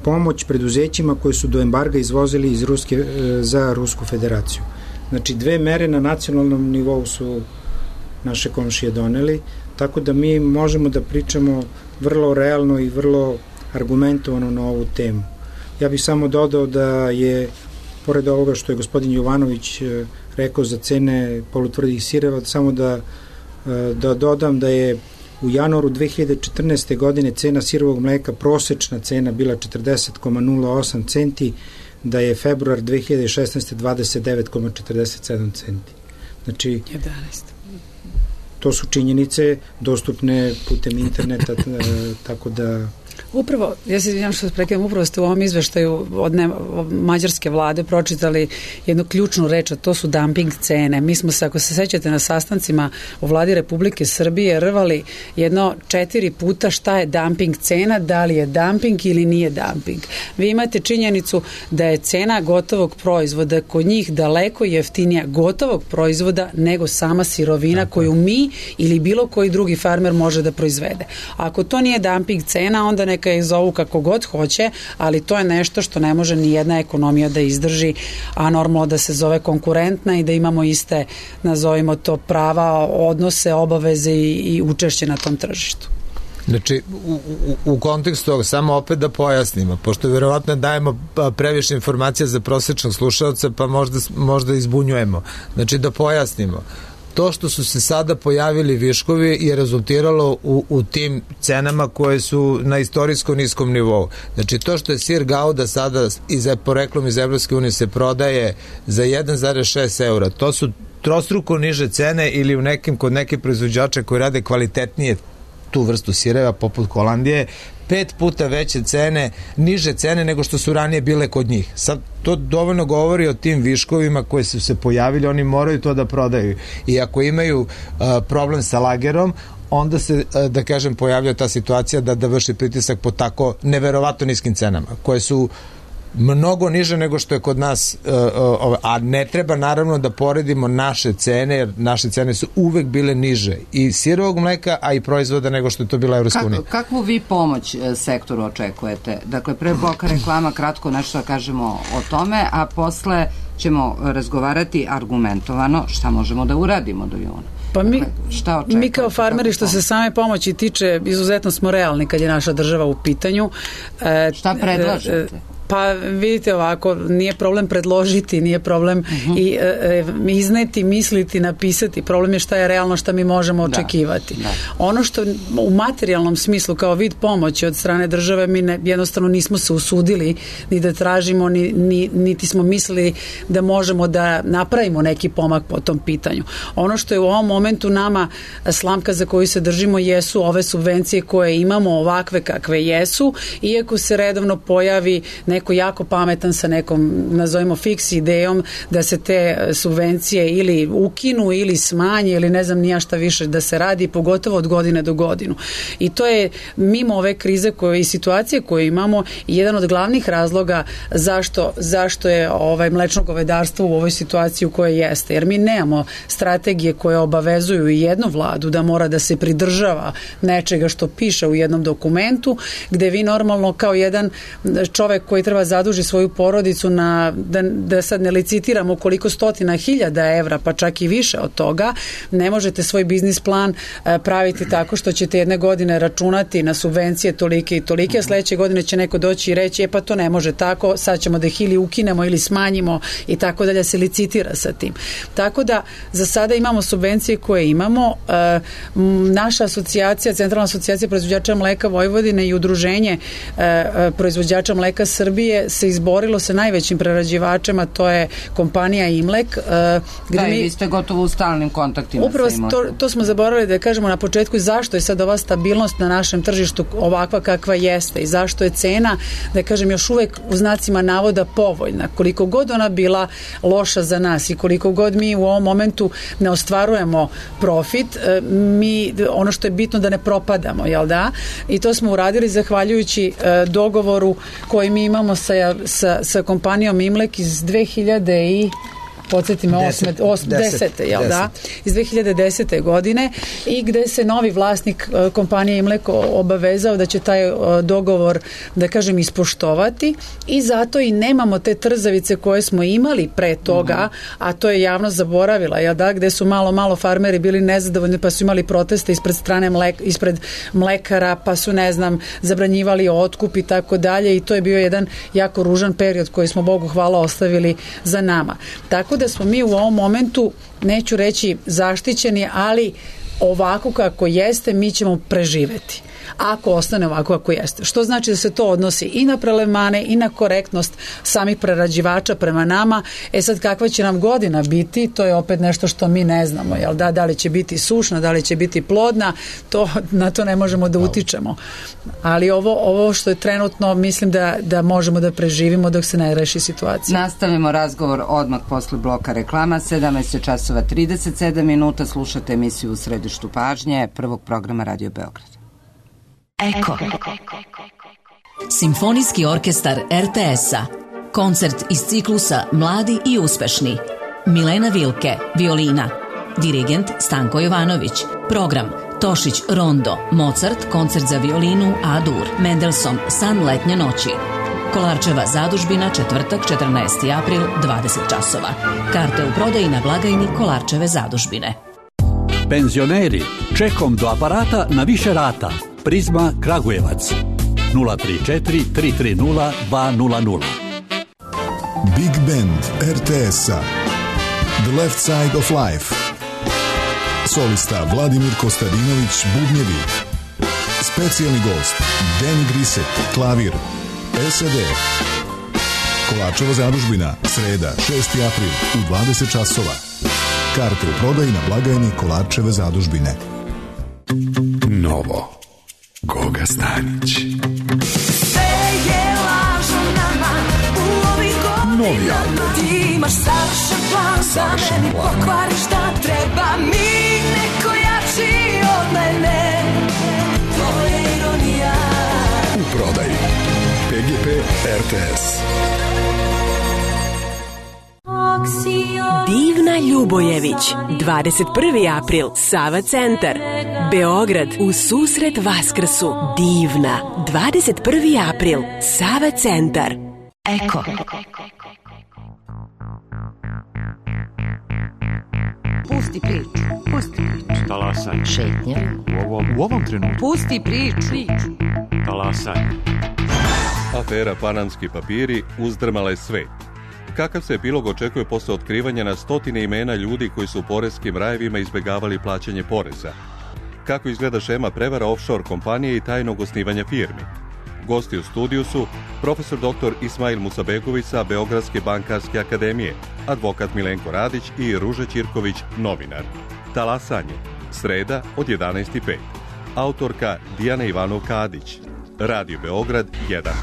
pomoć preduzećima koji su do embarga izvozili iz Ruske, uh, za Rusku federaciju. Znači, dve mere na nacionalnom nivou su naše komšije doneli, tako da mi možemo da pričamo vrlo realno i vrlo argumentovano na ovu temu. Ja bih samo dodao da je, pored ovoga što je gospodin Jovanović uh, rekao za cene polutvrdih sireva, samo da da dodam da je u januaru dve hiljade četrnaeste. godine cena sirovog mleka, prosečna cena bila četrdeset zarez nula osam centi, da je februar dve hiljade šesnaeste. dvadeset devet zarez četrdeset sedam centi. Znači, jedanaest. To su činjenice dostupne putem interneta, tako da... Upravo, ja se izvinjam što se prekidam, upravo ste u ovom izveštaju od, ne, od mađarske vlade pročitali jednu ključnu reč, a to su dumping cene. Mi smo se, ako se sećate, na sastancima u vladi Republike Srbije rvali jedno četiri puta šta je dumping cena, da li je dumping ili nije dumping. Vi imate činjenicu da je cena gotovog proizvoda kod njih daleko jeftinija gotovog proizvoda nego sama sirovina koju mi ili bilo koji drugi farmer može da proizvede. Ako to nije dumping cena, onda neka je zovu kako god hoće, ali to je nešto što ne može ni jedna ekonomija da izdrži, a normalno da se zove konkurentna i da imamo iste, nazovimo to, prava, odnose, obaveze i, i učešće na tom tržištu. Znači, u, u, u kontekstu toga, samo opet da pojasnimo, pošto verovatno dajemo previše informacija za prosječnog slušalca, pa možda, možda izbunjujemo. Znači, da pojasnimo. To što su se sada pojavili viškovi je rezultiralo u, u tim cenama koje su na istorijskom niskom nivou. Znači, to što je sir Gauda sada iz, poreklom iz Evropske unije se prodaje za jedan zarez šest eura, to su trostruko niže cene ili u nekim, kod neke proizvođača koji rade kvalitetnije tu vrstu sireva, poput Holandije, pet puta veće cene, niže cene nego što su ranije bile kod njih. Sad, to dovoljno govori o tim viškovima koji su se pojavili, oni moraju to da prodaju. I ako imaju uh, problem sa lagerom, onda se, uh, da kažem, pojavlja ta situacija da, da vrši pritisak po tako neverovatno niskim cenama, koje su mnogo niže nego što je kod nas, uh, uh, a ne treba naravno da poredimo naše cene, jer naše cene su uvek bile niže i sirovog mleka, a i proizvoda nego što je to bila Evropska unija. Kakvu vi pomoć sektoru očekujete? Dakle, pre bloka reklama kratko nešto da kažemo o tome, a posle ćemo razgovarati argumentovano šta možemo da uradimo do juna. Pa mi, mi kao farmeri, što se same pomoći tiče, izuzetno smo realni kad je naša država u pitanju. E, šta predlažete? Pa vidite ovako, nije problem predložiti, nije problem uh-huh. i e, izneti, misliti, napisati. Problem je šta je realno, šta mi možemo očekivati. Da, da. Ono što u materijalnom smislu kao vid pomoći od strane države mi ne, jednostavno nismo se usudili ni da tražimo, ni, ni, niti smo mislili da možemo da napravimo neki pomak po tom pitanju. Ono što je u ovom momentu nama slamka za koju se držimo jesu ove subvencije koje imamo ovakve kakve jesu, iako se redovno pojavi neko jako pametan sa nekom, nazovimo, fiks idejom da se te subvencije ili ukinu ili smanje ili ne znam nija šta više da se radi, pogotovo od godine do godinu. I to je mimo ove krize koje i situacije koje imamo jedan od glavnih razloga zašto, zašto je ovaj mlečno govedarstvo u ovoj situaciji u kojoj jeste. Jer mi nemamo strategije koje obavezuju i jednu vladu da mora da se pridržava nečega što piše u jednom dokumentu, gde vi normalno kao jedan čovek koji treba zaduži svoju porodicu na, da, da sad ne licitiramo koliko stotina hiljada evra, pa čak i više od toga, ne možete svoj biznis plan praviti tako što ćete jedne godine računati na subvencije tolike i tolike, a sledeće godine će neko doći i reći, e pa to ne može tako, sad ćemo da ih ili ukinemo ili smanjimo i tako dalje, se licitira sa tim. Tako da za sada imamo subvencije koje imamo. E, naša asocijacija, Centralna asocijacija proizvođača mleka Vojvodine i udruženje e, proizvođača mleka Srbije se izborilo sa najvećim prerađivačem, to je kompanija Imlek. E, gde da, mi, i vi ste gotovo u stalnim kontaktima upravo sa Imlekom. To, to smo zaboravili da kažemo na početku, zašto je sad ova stabilnost na našem tržištu ovakva kakva jeste i zašto je cena, da kažem, još uvek u znacima navoda povoljna. Koliko god ona bila loša za nas i koliko god mi u ovom momentu ne ostvarujemo profit, mi, ono što je bitno da ne propadamo, jel da? I to smo uradili zahvaljujući e, dogovoru koji mi imamo sa, sa, sa kompanijom Imlek iz dve hiljade i podsjeti me, osme, osme, desete, jel da? Iz dve hiljade desete. godine i gde se novi vlasnik uh, kompanije Imlek obavezao da će taj uh, dogovor, da kažem, ispoštovati i zato i nemamo te trzavice koje smo imali pre toga, mm-hmm. a to je javnost zaboravila, jel da? Gde su malo, malo farmeri bili nezadovoljni pa su imali proteste ispred strane mlek, ispred mlekara, pa su, ne znam, zabranjivali otkup i tako dalje i to je bio jedan jako ružan period koji smo, Bogu hvala, ostavili za nama. Tako da smo mi u ovom momentu, neću reći zaštićeni, ali ovako kako jeste mi ćemo preživeti. Ako ostane ovako kako jeste. Što znači da se to odnosi i na prelevmane i na korektnost samih prerađivača prema nama. E sad, kakva će nam godina biti, to je opet nešto što mi ne znamo. Jel da, da li će biti sušna, da li će biti plodna, to, na to ne možemo da utičemo. Ali ovo, ovo što je trenutno, mislim da, da možemo da preživimo dok se ne reši situacija. Nastavimo razgovor odmah posle bloka reklama. sedamnaest časova trideset sedam minuta. Slušate emisiju U središtu pažnje prvog programa Radio Beograd. Eko. Simfonijski orkestar er te es-a. Koncert iz ciklusa Mladi i uspešni. Milena Vilke, violina. Dirigent Stanko Jovanović. Program Tošić Rondo, Mozart, koncert za violinu A-dur. Mendelssohn, San letnje noći. Kolarčeva zadužbina, četvrtak, četrnaesti april, dvadeset časova. Karte u prodaji na blagajni Kolarčeve zadužbine. Penzioneri, čekom do aparata na više rata. Prizma Kragujevac nula tri četiri tri tri nula dva nula nula. Big Band er te es-a The Left Side of Life. Solista Vladimir Kostadinović, bubnjevi. Specijalni gost Danny Grisek, klavir. es a de. Kolarčeva zadužbina, sreda, šesti april u dvadeset časova. Karte u prodaji na blagajni Kolarčeve zadužbine. Novo. Goga Stanić. Sve je lažno nama u ovih godina. Ti imaš savršen plan, da meni pokvariš šta treba mi. Neko jači od mene. To je ironija. U prodaji pe ge pe er te es. Divna Ljubojević, dvadeset prvi april, Sava centar, Beograd, u susret Vaskrsu. Divna, dvadeset prvi april, Sava centar. Eko. Pusti priču, pusti priču. Talasaj. Šetnja. U ovom, u ovom trenutku. Pusti priču. Talasaj. Afera Panamski papiri uzdrmala je svet. Kakav se epilog očekuje posle otkrivanja na stotine imena ljudi koji su u poreskim rajevima izbegavali plaćanje poreza? Kako izgleda šema prevara offshore kompanije i tajnog osnivanja firmi? Gosti u studiju su profesor doktor Ismail Musabegović sa Beogradske bankarske akademije, advokat Milenko Radić i Ruža Ćirković, novinar. Talasanje, sreda od jedanaest i pet. Autorka Dijana Ivanov-Kadić. Radio Beograd jedan.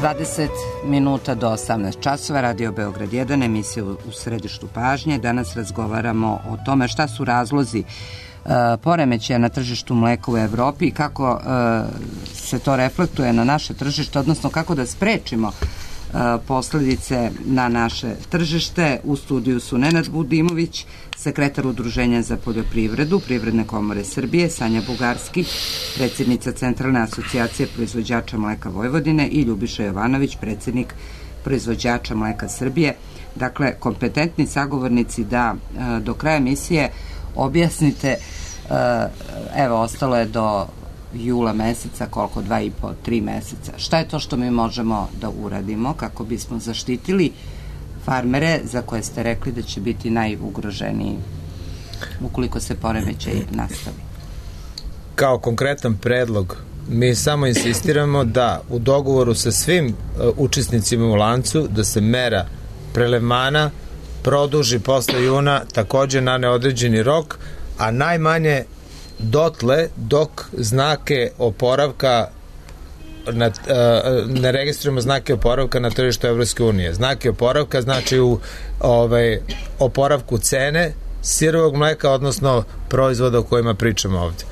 dvadeset minuta do osamnaest časova, Radio Beograd jedan, emisija u, u središtu pažnje. Danas razgovaramo o tome šta su razlozi uh, poremećaja na tržištu mleka u Evropi i kako uh, se to reflektuje na naše tržište, odnosno kako da sprečimo uh, posledice na naše tržište. U studiju su Nenad Budimović, sekretar Udruženja za poljoprivredu Privredne komore Srbije, Sanja Bugarski, predsjednica Centralne asocijacije proizvođača mleka Vojvodine i Ljubiša Jovanović, predsjednik proizvođača mleka Srbije. Dakle, kompetentni sagovornici da e, do kraja emisije objasnite, e, evo, ostalo je do jula meseca, koliko, dva i po, tri meseca. Šta je to što mi možemo da uradimo kako bismo zaštitili farmere za koje ste rekli da će biti najugroženiji ukoliko se poremećaj nastavi? Kao konkretan predlog mi samo insistiramo da u dogovoru sa svim uh, učesnicima u lancu da se mera prelevmana produži posle juna takođe na neodređeni rok, a najmanje dotle dok znake oporavka Na, ne registrujemo znake oporavka na tržištu Evropske unije. Znake oporavka znači u ovaj, oporavku cene sirovog mleka, odnosno proizvoda o kojima pričamo ovde.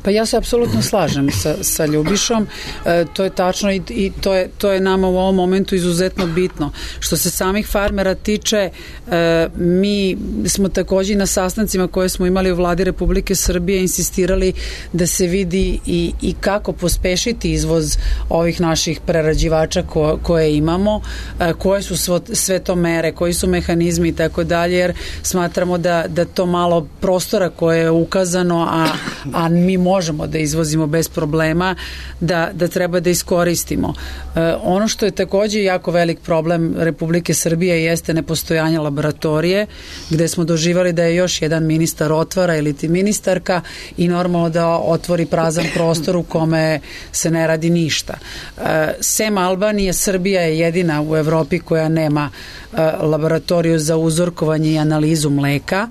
Pa ja se apsolutno slažem sa, sa Ljubišom, e, to je tačno i, i to, je, to je nama u ovom momentu izuzetno bitno. Što se samih farmera tiče, e, mi smo takođe na sastancima koje smo imali u vladi Republike Srbije insistirali da se vidi i, i kako pospešiti izvoz ovih naših prerađivača ko, koje imamo, e, koje su svo, sve to mere, koji su mehanizmi i tako dalje, jer smatramo da, da to malo prostora koje je ukazano, a, a mi možemo možemo da izvozimo bez problema, da, da treba da iskoristimo. E, ono što je takođe jako velik problem Republike Srbije jeste nepostojanje laboratorije, gde smo doživali da je još jedan ministar otvara ili ti ministarka i normalno da otvori prazan prostor u kome se ne radi ništa. E, sem Albanije, Srbija je jedina u Evropi koja nema e, laboratoriju za uzorkovanje i analizu mleka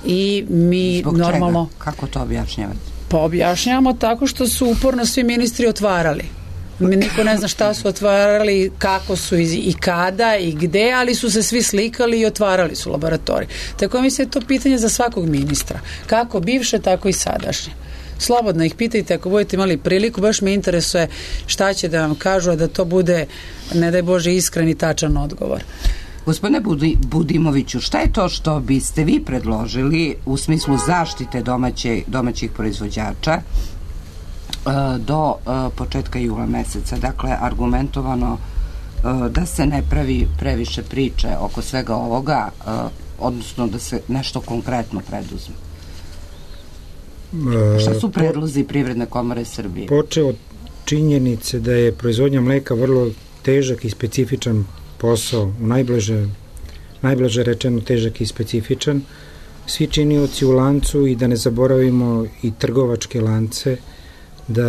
i mi Zbog normalno... Čega? Kako to objašnjavate? Pa objašnjavamo tako što su uporno svi ministri otvarali. Niko ne zna šta su otvarali, kako su i kada i gde, ali su se svi slikali i otvarali su laboratorij. Tako mislim je to pitanje za svakog ministra. Kako bivše, tako i sadašnje. Slobodno ih pitajte ako budete imali priliku, baš me interesuje šta će da vam kažu, a da to bude, ne daj Bože, iskren i tačan odgovor. Gospodine Budi, Budimoviću, šta je to što biste vi predložili u smislu zaštite domaće, domaćih proizvođača do početka jula meseca? Dakle, argumentovano da se ne pravi previše priče oko svega ovoga, odnosno da se nešto konkretno preduzme. Šta su predlozi Privredne komore Srbije? Počeo od činjenice da je proizvodnja mleka vrlo težak i specifičan posao, u najbliže, najbliže rečeno težak i specifičan. Svi činioci u lancu i da ne zaboravimo i trgovačke lance, da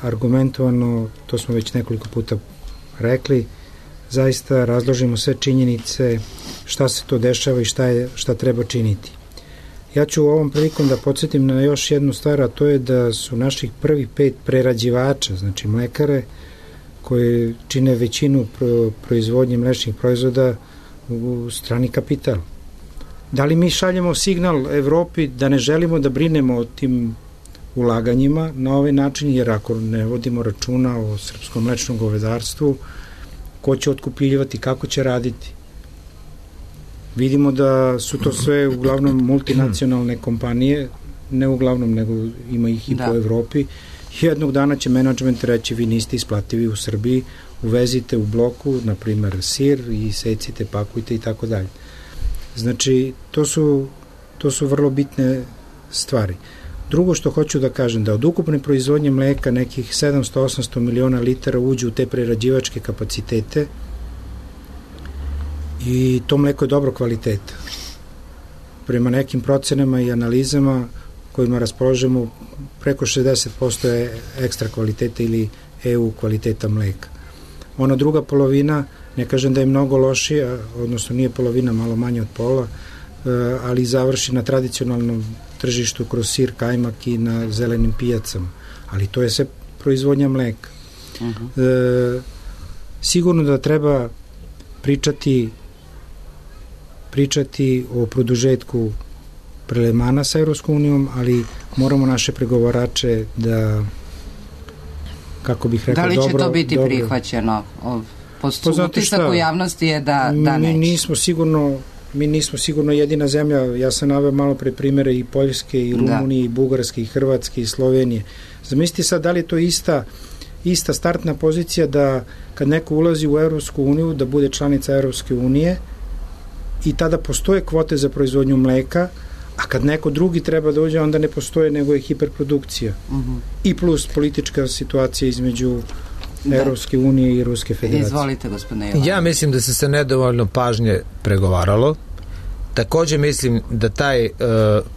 argumentovano, to smo već nekoliko puta rekli, zaista razložimo sve činjenice šta se to dešava i šta, je, šta treba činiti. Ja ću ovom prilikom da podsjetim na još jednu stvar, a to je da su naših prvih pet prerađivača, znači mlekare, koje čine većinu pro, proizvodnje mlečnih proizvoda u strani kapital. Da li mi šaljemo signal Evropi da ne želimo da brinemo o tim ulaganjima na ovaj način, jer ako ne vodimo računa o srpskom mlečnom govedarstvu, ko će otkupljivati, kako će raditi? Vidimo da su to sve uglavnom multinacionalne kompanije, ne uglavnom, nego ima ih i da. Po Evropi. Jednog dana će menadžment reći vi niste isplativi u Srbiji, uvezite u bloku, na primer, sir i secite, pakujte i tako dalje. Znači, to su, to su vrlo bitne stvari. Drugo što hoću da kažem, da od ukupne proizvodnje mleka nekih sedamsto do osamsto miliona litara uđe u te prerađivačke kapacitete i to mleko je dobro kvaliteta. Prema nekim procenama i analizama kojima raspoložemo, preko šezdeset posto je ekstra kvaliteta ili E U kvaliteta mleka. Ona druga polovina, ne kažem da je mnogo lošija, odnosno nije polovina, malo manje od pola, ali završi na tradicionalnom tržištu kroz sir, kajmak i na zelenim pijacama. Ali to je sve proizvodnja mleka. Uh-huh. E, sigurno da treba pričati pričati o produžetku prelevmana sa Evropskom unijom, ali moramo naše pregovarače da, kako bih rekao, dobro... Da li će dobro, to biti dobro, prihvaćeno? Po utisak u javnosti je da, da neće. Mi nismo sigurno mi nismo sigurno jedina zemlja, ja sam naveo malo pre primere i Poljske, i Rumunije, da. i Bugarske, i Hrvatske, i Slovenije. Zamislite sad da li je to ista, ista startna pozicija da kad neko ulazi u Evropsku uniju, da bude članica Evropske unije i tada postoje kvote za proizvodnju mleka, a kad neko drugi treba da uđe, onda ne postoje, nego je hiperprodukcija. Uh-huh. I plus politička situacija između da. Evropske unije i Ruske federacije. Izvolite, gospodine Jovanović. Ja mislim da se se nedovoljno pažnje pregovaralo. Takođe mislim da taj e,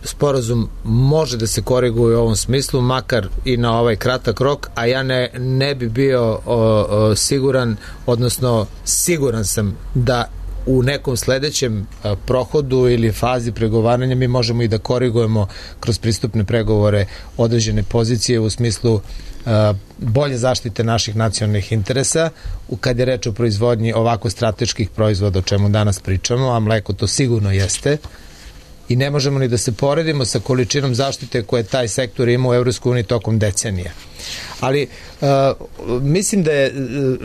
sporazum može da se koriguje u ovom smislu, makar i na ovaj kratak rok, a ja ne, ne bi bio o, o, siguran, odnosno siguran sam da u nekom sledećem a, prohodu ili fazi pregovaranja mi možemo i da korigujemo kroz pristupne pregovore određene pozicije u smislu a, bolje zaštite naših nacionalnih interesa kad je reč o proizvodnji ovako strateških proizvoda o čemu danas pričamo, a mleko to sigurno jeste. I ne možemo ni da se poredimo sa količinom zaštite koje taj sektor ima u Evropskoj uniji tokom decenija. Ali uh, mislim da je,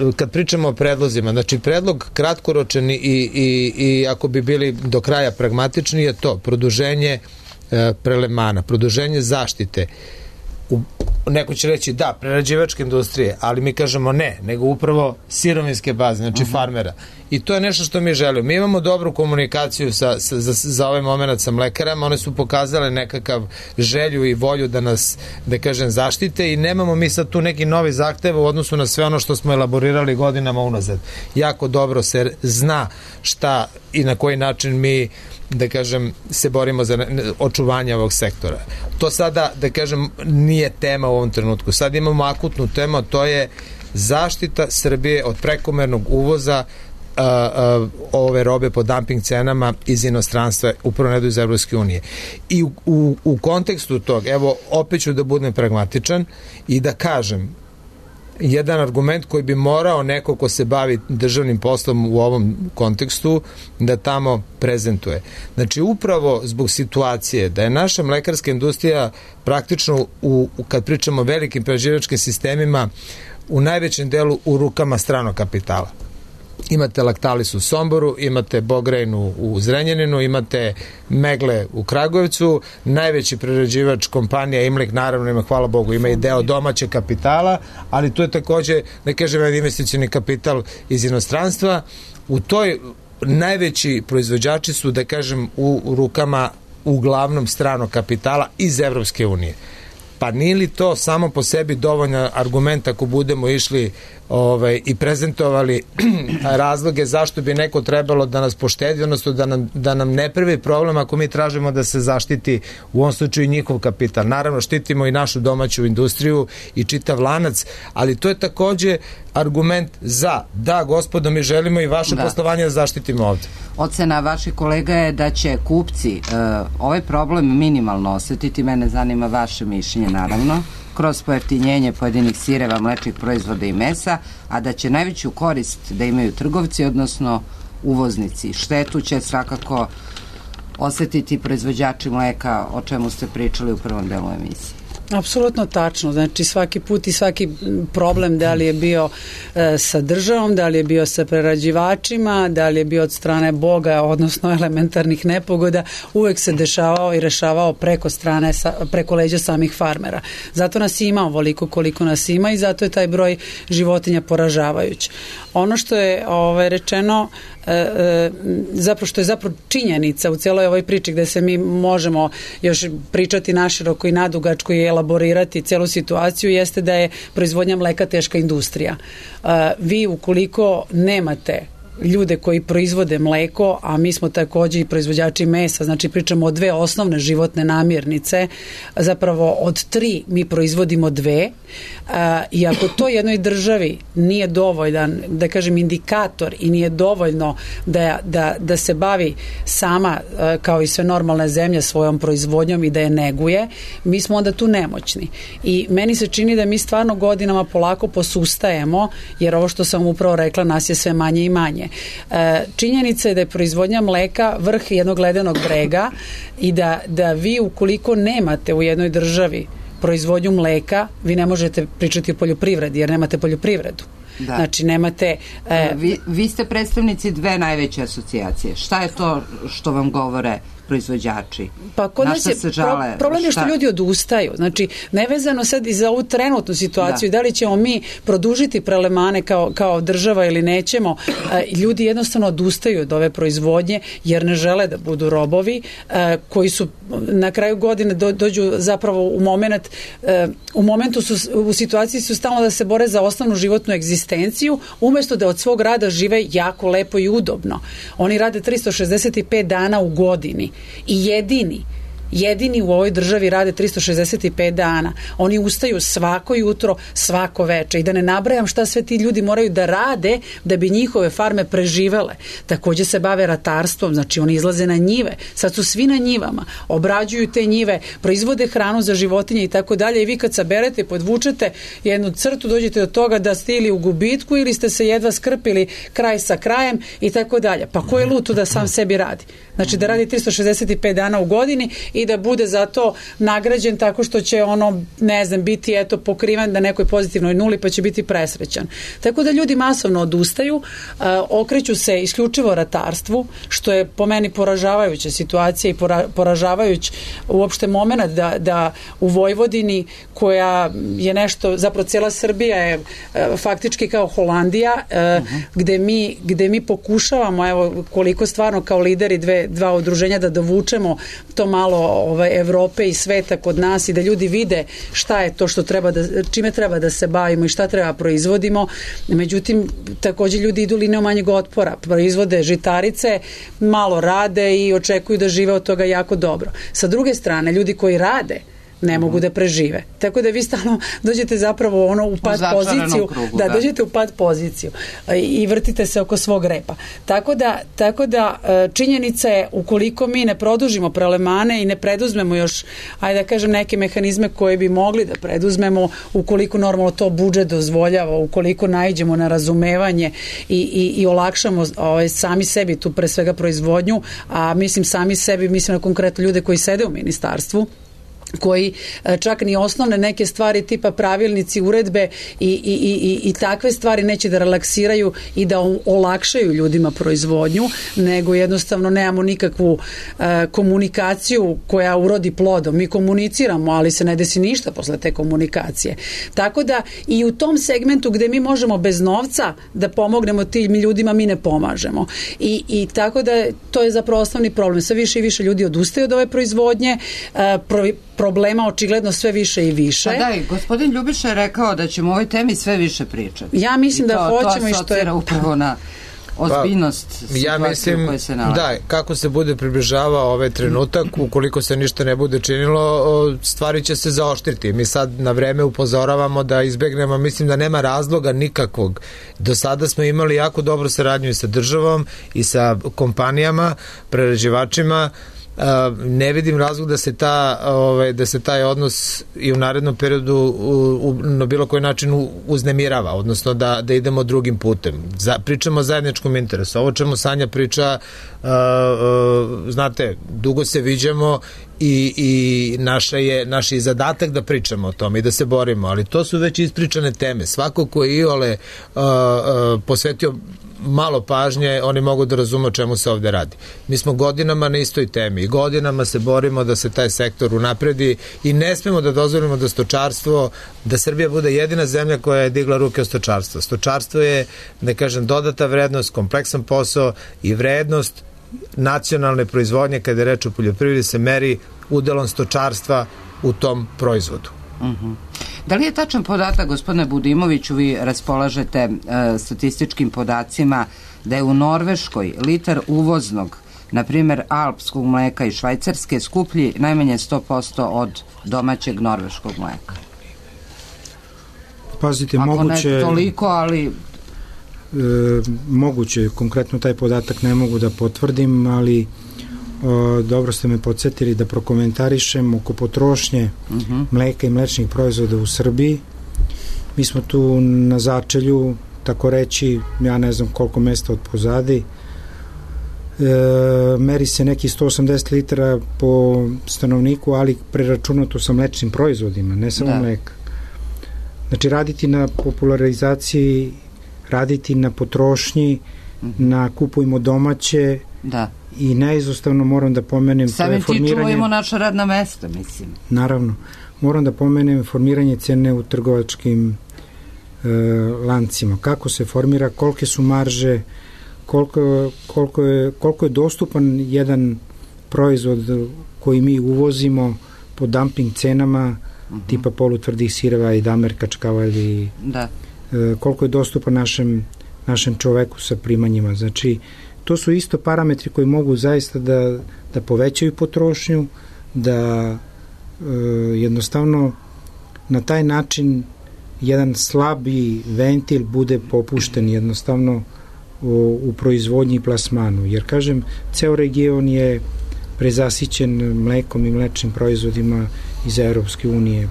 uh, kad pričamo o predlozima, znači predlog kratkoročan i, i, i ako bi bili do kraja pragmatični je to, produženje uh, prelevmana, produženje zaštite. U, neko će reći da, prerađivačke industrije, ali mi kažemo ne, nego upravo sirovinske baze, znači uh-huh. farmera. I to je nešto što mi želimo. Mi imamo dobru komunikaciju sa, sa, za, za ovaj moment sa mlekarama, one su pokazale nekakav želju i volju da nas, da kažem, zaštite i nemamo mi sad tu neki novi zahtev u odnosu na sve ono što smo elaborirali godinama unazad. Jako dobro se zna šta i na koji način mi, da kažem, se borimo za očuvanje ovog sektora. To sada, da kažem, nije tema u ovom trenutku. Sad imamo akutnu temu, to je zaštita Srbije od prekomernog uvoza uh, uh, ove robe po dumping cenama iz inostranstva, upravo ne do iz Evropske unije. I u, u, u kontekstu tog, evo, opet ću da budem pragmatičan i da kažem jedan argument koji bi morao neko ko se bavi državnim poslom u ovom kontekstu da tamo prezentuje. Znači upravo zbog situacije da je naša mlekarska industrija praktično u, kad pričamo o velikim prerađivačkim sistemima u najvećem delu u rukama stranog kapitala. Imate Lactalis u Somboru, imate Bogrejnu u Zrenjaninu, imate Megle u Kragujevcu, najveći prerađivač kompanija Imlek, naravno ima, hvala Bogu, ima i deo domaćeg kapitala, ali tu je takođe, ne kažem, investicioni kapital iz inostranstva. U toj najveći proizvođači su, da kažem, u rukama uglavnom stranog kapitala iz Evropske unije. Pa nije li to samo po sebi dovoljna argument ako budemo išli ovaj, i prezentovali razloge zašto bi neko trebalo da nas poštedi, odnosno da nam, da nam ne pravi problem ako mi tražimo da se zaštiti u ovom slučaju njihov kapital. Naravno, štitimo i našu domaću industriju i čitav lanac, ali to je takođe argument za, da, gospodo, mi želimo i vaše da. poslovanje da zaštitimo ovde. Ocena vaših kolega je da će kupci uh, ovaj problem minimalno osetiti, mene zanima vaše mišljenje, naravno, kroz pojeftinjenje pojedinih sireva, mlečnih proizvoda i mesa, a da će najveću korist da imaju trgovci, odnosno uvoznici. Štetu će svakako osetiti proizvođači mleka, o čemu ste pričali u prvom delu emisije. Apsolutno tačno, znači svaki put i svaki problem, da li je bio e, sa državom, da li je bio sa prerađivačima, da li je bio od strane Boga, odnosno elementarnih nepogoda, uvek se dešavao i rešavao preko strane, sa, preko leđa samih farmera. Zato nas ima ovoliko koliko nas ima i zato je taj broj životinja poražavajući. Ono što je ovaj, rečeno, e, e, zapravo što je zapravo činjenica u cijeloj ovoj priči gde se mi možemo još pričati naširoko i nadugačko i elaborirati cijelu situaciju, jeste da je proizvodnja mleka teška industrija. E, vi ukoliko nemate ljude koji proizvode mleko, a mi smo takođe i proizvođači mesa, znači pričamo o dve osnovne životne namirnice, zapravo od tri mi proizvodimo dve, a, i ako to jednoj državi nije dovoljan, da kažem, indikator i nije dovoljno da, da, da se bavi sama, a, kao i sve normalne zemlje, svojom proizvodnjom i da je neguje, mi smo onda tu nemoćni. I meni se čini da mi stvarno godinama polako posustajemo, jer ovo što sam upravo rekla, nas je sve manje i manje. E, činjenica je da je proizvodnja mleka vrh jednog ledenog brega i da, da vi ukoliko nemate u jednoj državi proizvodnju mleka, vi ne možete pričati o poljoprivredi, jer nemate poljoprivredu. Da. Znači nemate... E, vi, vi ste predstavnici dve najveće asocijacije. Šta je to što vam govore proizvođači? Pa kod nas je pro, problem je što ljudi odustaju. Znači, nevezano sad i za ovu trenutnu situaciju, da, da li ćemo mi produžiti prelemane kao, kao država ili nećemo, ljudi jednostavno odustaju od ove proizvodnje jer ne žele da budu robovi koji su na kraju godine do, dođu zapravo u moment u momentu su, u situaciji su stalno da se bore za osnovnu životnu egzistenciju, umesto da od svog rada žive jako lepo i udobno. Oni rade tristo šezdeset pet dana u godini i jedini jedini u ovoj državi rade tristo šezdeset pet dana. Oni ustaju svako jutro, svako veče i da ne nabrajam šta sve ti ljudi moraju da rade da bi njihove farme preživele. Takođe se bave ratarstvom, znači oni izlaze na njive, sad su svi na njivama, obrađuju te njive, proizvode hranu za životinje i tako dalje i vi kad saberete, podvučete jednu crtu, dođete do toga da ste ili u gubitku ili ste se jedva skrpili kraj sa krajem i tako dalje. Pa ko je luto da sam sebi radi? Znači da radi tristo šezdeset pet dana u godini i da bude zato nagrađen tako što će ono, ne znam, biti eto pokriven na nekoj pozitivnoj nuli pa će biti presrećan. Tako da ljudi masovno odustaju, uh, okreću se isključivo ratarstvu, što je po meni poražavajuća situacija i pora, poražavajuć uopšte moment da, da u Vojvodini koja je nešto, zapravo cijela Srbija je uh, faktički kao Holandija, uh, uh-huh. gde, mi, gde mi pokušavamo, evo koliko stvarno kao lideri dve, dva udruženja da dovučemo to malo ovaj, Evrope i sveta kod nas i da ljudi vide šta je to što treba da, čime treba da se bavimo i šta treba proizvodimo. Međutim, takođe ljudi idu linijom manjeg otpora, proizvode žitarice, malo rade i očekuju da žive od toga jako dobro. Sa druge strane, ljudi koji rade ne mogu da prežive. Tako da vi stalno dođete zapravo ono u pad u poziciju, krugu, da, da dođete u pad poziciju i vrtite se oko svog repa. Tako da, tako da činjenica je ukoliko mi ne produžimo prelemane i ne preduzmemo još, ajde da kažem, neke mehanizme koje bi mogli da preduzmemo, ukoliko normalno to budžet dozvoljava, ukoliko naiđemo na razumevanje i, i, i olakšamo ovaj, sami sebi tu pre svega proizvodnju, a mislim sami sebi, mislim na konkretno ljude koji sede u ministarstvu, koji čak ni osnovne neke stvari tipa pravilnici, uredbe i, i, i, i takve stvari neće da relaksiraju i da olakšaju ljudima proizvodnju, nego jednostavno nemamo nikakvu uh, komunikaciju koja urodi plodom. Mi komuniciramo, ali se ne desi ništa posle te komunikacije. Tako da i u tom segmentu gde mi možemo bez novca da pomognemo tim ljudima, mi ne pomažemo. I, i tako da to je zapravo osnovni problem. Sve više i više ljudi odustaju od ove proizvodnje, uh, pro, problema očigledno sve više i više. Pa da, i gospodin Ljubiša je rekao da ćemo o ovoj temi sve više pričati. Ja mislim I to, da hoćemo i što je... upravo na ozbiljnost pa, situacije ja mislim, u kojoj se nalazi. Da, kako se bude približavao ovaj trenutak, ukoliko se ništa ne bude činilo, stvari će se zaoštriti. Mi sad na vreme upozoravamo da izbegnemo, mislim da nema razloga nikakvog. Do sada smo imali jako dobru saradnju i sa državom i sa kompanijama, prerađivačima. Uh, ne vidim razlog da se ta ovaj, da se taj odnos i u narednom periodu u, u, na bilo koji način u, uznemirava, odnosno da, da idemo drugim putem. Za, pričamo o zajedničkom interesu. Ovo čemu Sanja priča, uh, uh, znate, dugo se viđamo i, i naša je, naš je zadatak da pričamo o tome i da se borimo, ali to su već ispričane teme. Svako ko je iole uh, uh, posvetio malo pažnje, oni mogu da razume o čemu se ovde radi. Mi smo godinama na istoj temi i godinama se borimo da se taj sektor unapredi i ne smemo da dozvolimo da stočarstvo, da Srbija bude jedina zemlja koja je digla ruke od stočarstva. Stočarstvo je, da kažem, dodata vrednost, kompleksan posao i vrednost nacionalne proizvodnje kada je reč o poljoprivredi se meri udelom stočarstva u tom proizvodu. Uh-huh. Da li je tačan podatak, gospodine Budimoviću, vi raspolažete e, statističkim podacima da je u Norveškoj litar uvoznog, na primjer alpskog mleka i švajcarske, skuplji najmanje sto posto od domaćeg norveškog mleka. Pazite, ako moguće... ne toliko, ali... E, moguće, konkretno taj podatak ne mogu da potvrdim, ali o, dobro ste me podsjetili da prokomentarišem oko potrošnje uh-huh. mleka i mlečnih proizvoda u Srbiji. Mi smo tu na začelju, tako reći, ja ne znam koliko mesta od pozadi. E, meri se neki sto osamdeset litara po stanovniku, ali preračunato sa mlečnim proizvodima, ne samo da. mleka. Znači, raditi na popularizaciji, raditi na potrošnji, uh-huh. na kupujmo domaće, da. I neizostavno moram da pomenem samim ti čuvajmo naša radna mesta, mislim. Naravno, moram da pomenem formiranje cene u trgovačkim e, lancima. Kako se formira, kolike su marže, koliko, koliko, je, koliko je dostupan jedan proizvod koji mi uvozimo po dumping cenama, uh-huh. tipa polutvrdih sireva i damer kačkava ili da. E, koliko je dostupan našem, našem čoveku sa primanjima. Znači, to su isto parametri koji mogu zaista da, da povećaju potrošnju, da e, jednostavno na taj način jedan slabi ventil bude popušten jednostavno u, u proizvodnji i plasmanu. Jer, kažem, ceo region je prezasićen mlekom i mlečnim proizvodima iz Evropske unije.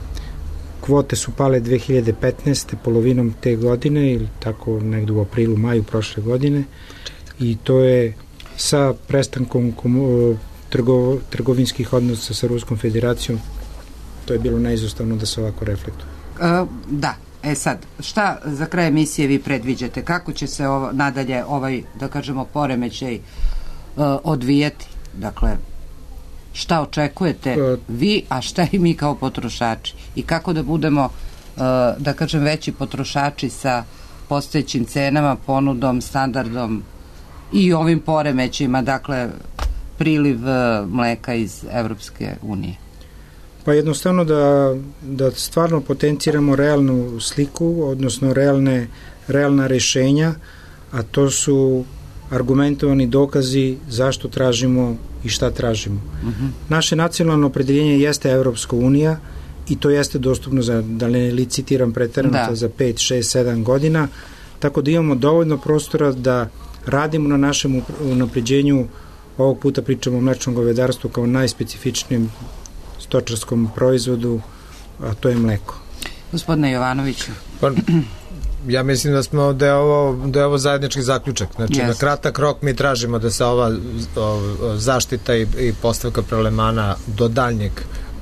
Kvote su pale dve hiljade petnaeste. polovinom te godine ili tako negdje u aprilu, maju prošle godine. I to je sa prestankom trgo, trgovinskih odnosa sa Ruskom federacijom, to je bilo neizostavno da se ovako reflektuje. E, da, e sad, šta za kraj emisije vi predviđate? Kako će se ovo, nadalje ovaj, da kažemo, poremećaj e, odvijati? Dakle, šta očekujete e, vi, a šta i mi kao potrošači? I kako da budemo, e, da kažem, veći potrošači sa postojećim cenama, ponudom, standardom i ovim poremećima, dakle, priliv mleka iz Evropske unije? Pa jednostavno da, da stvarno potenciramo realnu sliku, odnosno realne, realna rešenja, a to su argumentovani dokazi zašto tražimo i šta tražimo. Uh-huh. Naše nacionalno opredeljenje jeste Evropska unija i to jeste dostupno za, da ne licitiram preterano, za pet, šest, sedam godina, tako da imamo dovoljno prostora da radimo na našem unapređenju. Ovog puta pričamo o mlečnom govedarstvu kao najspecifičnijem stočarskom proizvodu, a to je mleko. Gospodine Jovanoviću. Pa, ja mislim da smo da je ovo, da je ovo zajednički zaključak. Znači, yes. na kratak rok mi tražimo da se ova o, zaštita i, i postavka prelemana do daljnjeg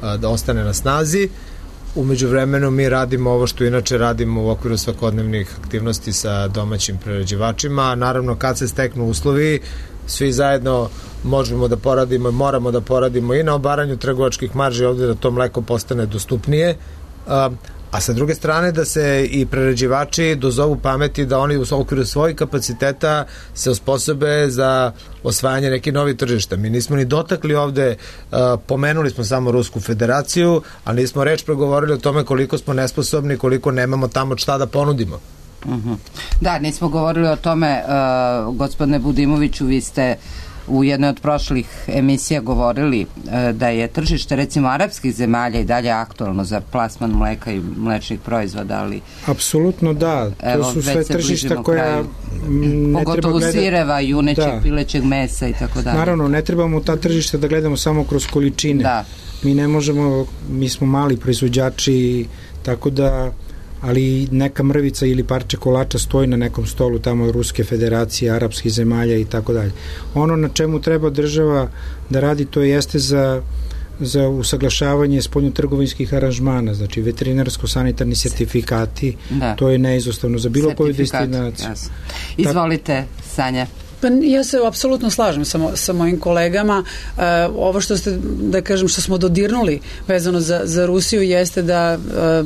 a, da ostane na snazi. Umeđu vremenu mi radimo ovo što inače radimo u okviru svakodnevnih aktivnosti sa domaćim prerađivačima, a naravno kad se steknu uslovi, svi zajedno možemo da poradimo i moramo da poradimo i na obaranju trgovačkih marži ovde da to mleko postane dostupnije, a, a sa druge strane da se i prerađivači dozovu pameti da oni u okviru svojih kapaciteta se osposobe za osvajanje nekih novih tržišta. Mi nismo ni dotakli ovde, uh, pomenuli smo samo Rusku federaciju, ali nismo reč progovorili o tome koliko smo nesposobni, koliko nemamo tamo šta da ponudimo. Uh-huh. Da, nismo govorili o tome, uh, gospodine Budimoviću, vi ste u jednoj od prošlih emisija govorili uh, da je tržište recimo arapskih zemalja i dalje aktualno za plasman mleka i mlečnih proizvoda, ali... Apsolutno da, to evo, su sve tržišta koja... Ne pogotovo gleda... sireva, junećeg, da. pilećeg mesa i tako dalje. Naravno, ne trebamo ta tržišta da gledamo samo kroz količine. Da. Mi ne možemo, mi smo mali proizvođači, tako da, ali neka mrvica ili parče kolača stoji na nekom stolu tamo Ruske federacije, arapskih zemalja i tako dalje. Ono na čemu treba država da radi, to jeste za za usaglašavanje spoljnotrgovinskih aranžmana, znači veterinarsko-sanitarni sertifikati, da. To je neizostavno za bilo koju destinaciju. Jasno. Izvolite, Sanja. Pa ja se apsolutno slažem sa, mo, sa mojim kolegama. E, ovo što ste, da kažem, što smo dodirnuli vezano za, za Rusiju jeste da e,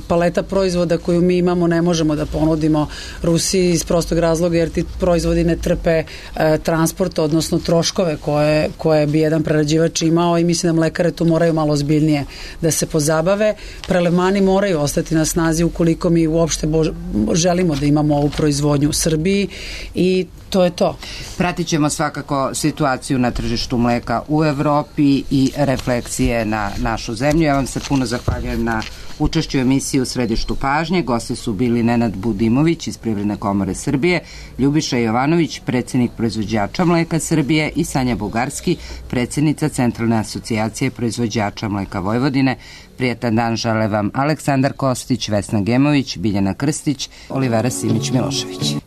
paleta proizvoda koju mi imamo ne možemo da ponudimo Rusiji iz prostog razloga jer ti proizvodi ne trpe e, transport, odnosno troškove koje, koje bi jedan prerađivač imao i mislim da mlekare tu moraju malo ozbiljnije da se pozabave. Prelevmani moraju ostati na snazi ukoliko mi uopšte bož, želimo da imamo ovu proizvodnju u Srbiji i to je to. Pratit ćemo svakako situaciju na tržištu mleka u Evropi i refleksije na našu zemlju. Ja vam se puno zahvaljujem na učešću u emisiji U središtu pažnje. Gosti su bili Nenad Budimović iz Privredne komore Srbije, Ljubiša Jovanović, predsjednik proizvođača mleka Srbije i Sanja Bugarski, predsjednica Centralne asocijacije proizvođača mleka Vojvodine. Prijetan dan žele vam Aleksandar Kostić, Vesna Gemović, Biljana Krstić, Olivera Simić-Milošević.